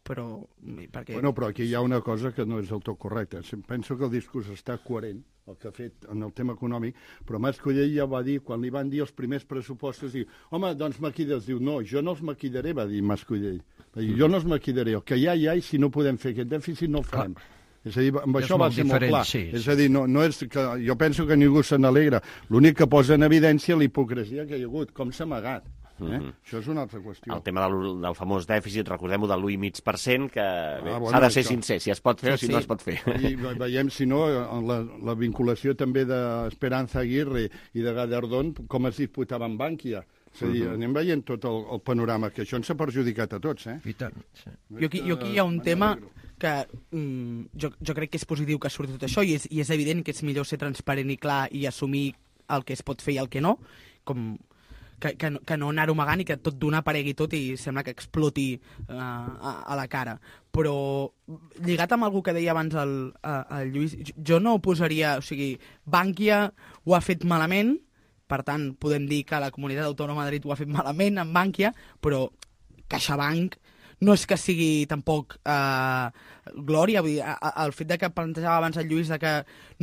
però... Perquè... Bueno, però aquí hi ha una cosa que no és del tot correcta. Penso que el discurs està coherent, el que ha fet en el tema econòmic, però Mas Colell ja va dir, quan li van dir els primers pressupostos, diu, home, doncs maquilles. Diu, no, jo no els maquillaré, va dir Mas Colell. Jo no els maquillaré, el que hi ha, hi ha, i si no podem fer aquest dèficit no el farem. Clar. És a dir, amb això va ser molt clar. Sí, és a dir, no, no és que, jo penso que ningú se n'alegra. L'únic que posa en evidència la hipocresia que hi ha hagut, com s'ha amagat. Eh? Mm-hmm. Això és una altra qüestió. El tema del, del famós dèficit, recordem-ho, de l'u coma cinc per cent, que ah, bueno, s'ha de ser això... sincer, si es pot fer sí, o si sí. no es pot fer. I veiem, si no, la, la vinculació també d'Esperanza Aguirre i de Gallardón, com es disputava amb Bankia. És a dir, uh-huh. anem veient tot el, el panorama, que això ens ha perjudicat a tots, eh? I tant, sí. Jo aquí, jo aquí hi ha un tema que mm, jo, jo crec que és positiu que surti tot això i és, i és evident que és millor ser transparent i clar i assumir el que es pot fer i el que no, com... que, que, no, que no anar-ho amagant i que tot d'una aparegui tot i sembla que exploti uh, a, a la cara. Però lligat amb algú que deia abans el, el Lluís, jo no ho posaria... O sigui, Bankia ho ha fet malament, per tant, podem dir que la Comunitat Autònoma de Madrid ho ha fet malament amb Bankia, però CaixaBank no és que sigui tampoc eh, glòria. Vull dir, el fet de que plantejava abans el Lluís de que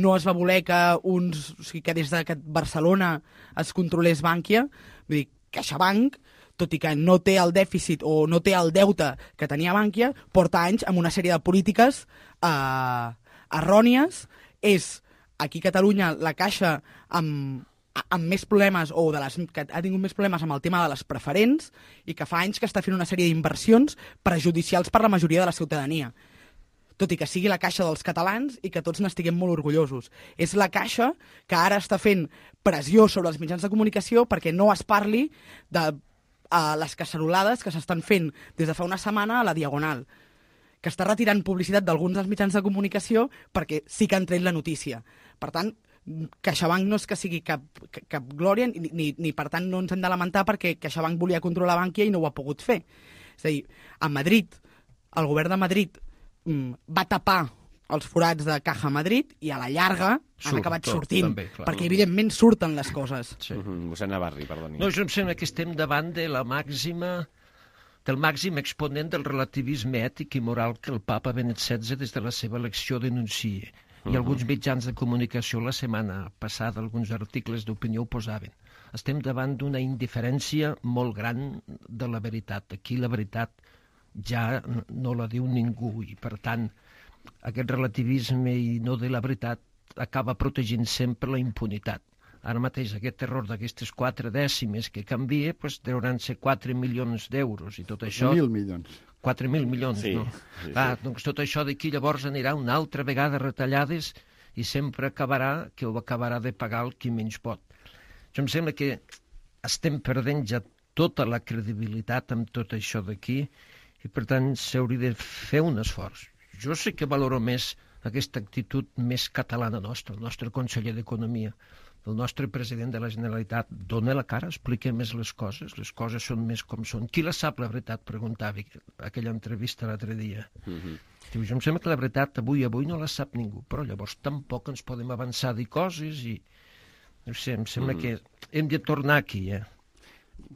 no es va voler que, uns, o sigui, que des de que Barcelona es controlés Bankia, vull dir, CaixaBank, tot i que no té el dèficit o no té el deute que tenia Bankia, porta anys amb una sèrie de polítiques eh, errònies. És aquí a Catalunya la Caixa amb amb més problemes, o de les, que ha tingut més problemes amb el tema de les preferents i que fa anys que està fent una sèrie d'inversions perjudicials per la majoria de la ciutadania. Tot i que sigui la Caixa dels catalans i que tots n'estiguem molt orgullosos. És la Caixa que ara està fent pressió sobre els mitjans de comunicació perquè no es parli de uh, les cacerolades que s'estan fent des de fa una setmana a la Diagonal, que està retirant publicitat d'alguns dels mitjans de comunicació perquè sí que han tret la notícia. Per tant, CaixaBank no és que sigui cap, cap glòria, ni, ni, ni per tant no ens hem de lamentar perquè CaixaBank volia controlar Bankia i no ho ha pogut fer. És a dir, a Madrid, el govern de Madrid mm, va tapar els forats de Caja Madrid i a la llarga Surt, han acabat tot, sortint, també, perquè evidentment surten les coses. Sí. Uh-huh. Mossèn Navarri, perdoni. No, jo em sembla que estem davant de la màxima, del màxim exponent del relativisme ètic i moral que el papa Benet setze des de la seva elecció denuncia. I alguns mitjans de comunicació la setmana passada, alguns articles d'opinió ho posaven. Estem davant d'una indiferència molt gran de la veritat. Aquí la veritat ja no la diu ningú i, per tant, aquest relativisme i no de la veritat acaba protegint sempre la impunitat. Ara mateix aquest error d'aquestes quatre dècimes que canvia, doncs deuran ser quatre milions d'euros i tot això... Mil milions. quatre mil milions, sí, no? Sí, ah, sí. Doncs tot això d'aquí llavors anirà una altra vegada retallades i sempre acabarà que ho acabarà de pagar el qui menys pot. Jo em sembla que estem perdent ja tota la credibilitat amb tot això d'aquí i per tant s'hauria de fer un esforç. Jo sé que valoro més aquesta actitud més catalana nostra, el nostre conseller d'Economia, el nostre president de la Generalitat, dona la cara, explica més les coses, les coses són més com són. Qui la sap, la veritat? Preguntava aquella entrevista l'altre dia. Uh-huh. Diu, jo em sembla que la veritat avui avui no la sap ningú, però llavors tampoc ens podem avançar a dir coses i... No sé, em sembla uh-huh. que hem de tornar aquí, eh?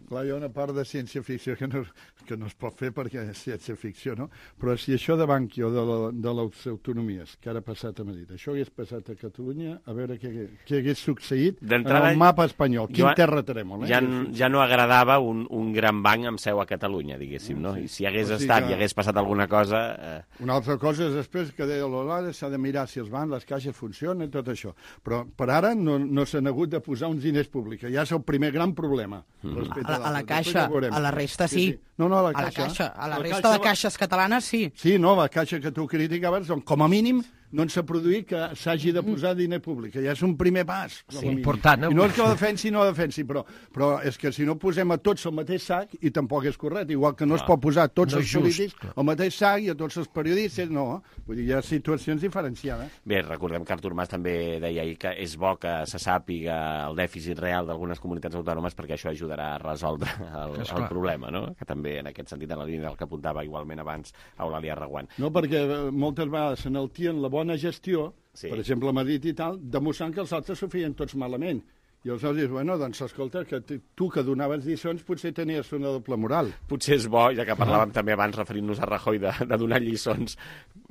Clar, hi ha una part de ciència-ficció que no, que no es pot fer perquè és ciència-ficció, no? Però si això de Bankia o de, la, de les autonomies que ara ha passat a Madrid, això hagués passat a Catalunya, a veure què, què hagués succeït en el mapa espanyol. Quin terra trèmol, eh? Ja, ja no agradava un, un gran banc amb seu a Catalunya, diguéssim, no? I si hagués o sigui estat que... i hagués passat alguna cosa... Eh... Una altra cosa és després que deia l'Olada, s'ha de mirar si els bancs, les caixes funcionen, tot això. Però per ara no, no s'han hagut de posar uns diners públics, ja és el primer gran problema. Mm. A, la, a la Caixa, a la resta sí. sí, sí. No, no, a la a Caixa. La caixa. A la, la resta caixa... de caixes catalanes sí. Sí, no, la Caixa que tu criticaves, doncs, com a mínim no ens ha produït que s'hagi de posar diner públic, que ja és un primer pas. Sí, important. I no és que ho defensi, no ho defensi, però, però és que si no posem a tots al mateix sac, i tampoc és correcte, igual que no clar. Es pot posar a tots no els polítics al mateix sac i a tots els periodistes, no. Vull dir, hi ha situacions diferenciades. Bé, recordem que Artur Mas també deia ahir que és bo que se sàpiga el dèficit real d'algunes comunitats autònomes perquè això ajudarà a resoldre el, el problema, no? Que també en aquest sentit, en la línia del que apuntava igualment abans Eulàlia Reguant. No, perquè moltes vegades s'enaltien la bona gestió, sí. Per exemple, a Madrid i tal, demostrant que els altres s'ho feien tots malament. I aleshores dius, bueno, doncs escolta, que tu que donaves lliçons potser tenies una doble moral. Potser és bo, ja que parlàvem ah. també abans referint-nos a Rajoy de, de donar lliçons,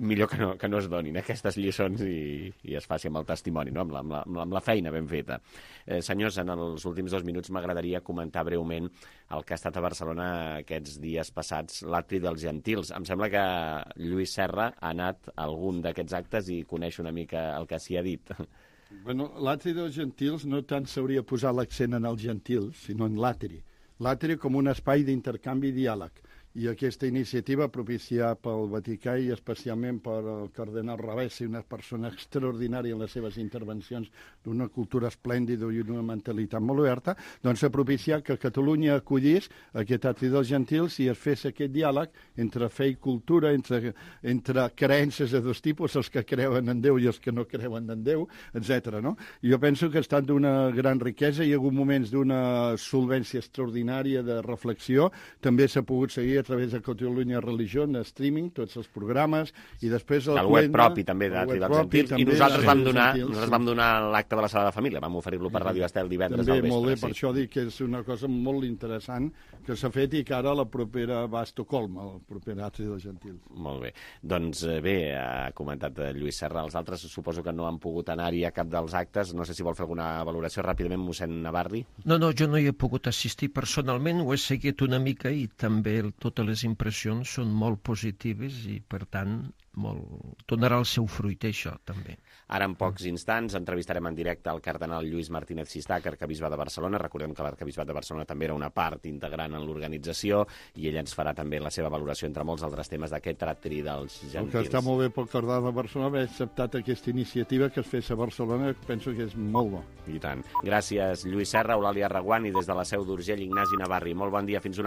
millor que no, que no es donin aquestes lliçons i, i es faci amb el testimoni, no? amb, la, amb, la, amb la feina ben feta. Eh, senyors, en els últims dos minuts m'agradaria comentar breument el que ha estat a Barcelona aquests dies passats, l'Atri dels Gentils. Em sembla que Lluís Serra ha anat a algun d'aquests actes i coneix una mica el que s'hi ha dit. Bueno, l'Atri dels Gentils no tant s'hauria posat l'accent en els gentils, sinó en l'Atri. l'atri com un espai d'intercanvi i diàleg. I aquesta iniciativa, propiciada pel Vaticà i especialment per el cardenal Ravesi, una persona extraordinària en les seves intervencions, d'una cultura esplèndida i una mentalitat molt oberta, doncs s'ha propiciat que Catalunya acollís aquest atri dels gentils i es fes aquest diàleg entre fe i cultura, entre, entre creences de dos tipus, els que creuen en Déu i els que no creuen en Déu, etcètera. No? Jo penso que ha estat d'una gran riquesa, hi ha hagut moments d'una solvència extraordinària de reflexió, també s'ha pogut seguir a través de Catalunya Religió, en streaming, tots els programes, i després... El, el web propi, també, d'Atri dels Gentils, i nosaltres vam donar, nosaltres vam donar l'acte de la Sagrada Família, vam oferir-lo per Ràdio Estel divendres al vespre. També, molt bé, per això dic que és una cosa molt interessant que s'ha fet i que ara la propera va a Estocolm, el proper Atri dels Gentils. Molt bé. Doncs bé, ha comentat Lluís Serra, els altres suposo que no han pogut anar-hi a cap dels actes, no sé si vol fer alguna valoració ràpidament, mossèn Navarri. No, no, jo no hi he pogut assistir personalment, ho he seguit una mica i també tot totes les impressions són molt positives i, per tant, molt... donarà el seu fruit, això, també. Ara, en pocs instants, entrevistarem en directe el cardenal Lluís Martínez Sistà, arquebisbe de Barcelona. Recordem que l'arquebisbat de Barcelona també era una part integrant en l'organització i ell ens farà també la seva valoració entre molts altres temes d'aquest atri dels gentils. El que està molt bé pel cardenal de Barcelona haver acceptat aquesta iniciativa que es fes a Barcelona, penso que és molt bo. I tant. Gràcies, Lluís Serra, Eulàlia Reguant i des de la Seu d'Urgell, Ignasi Navarri. Molt bon dia, fins una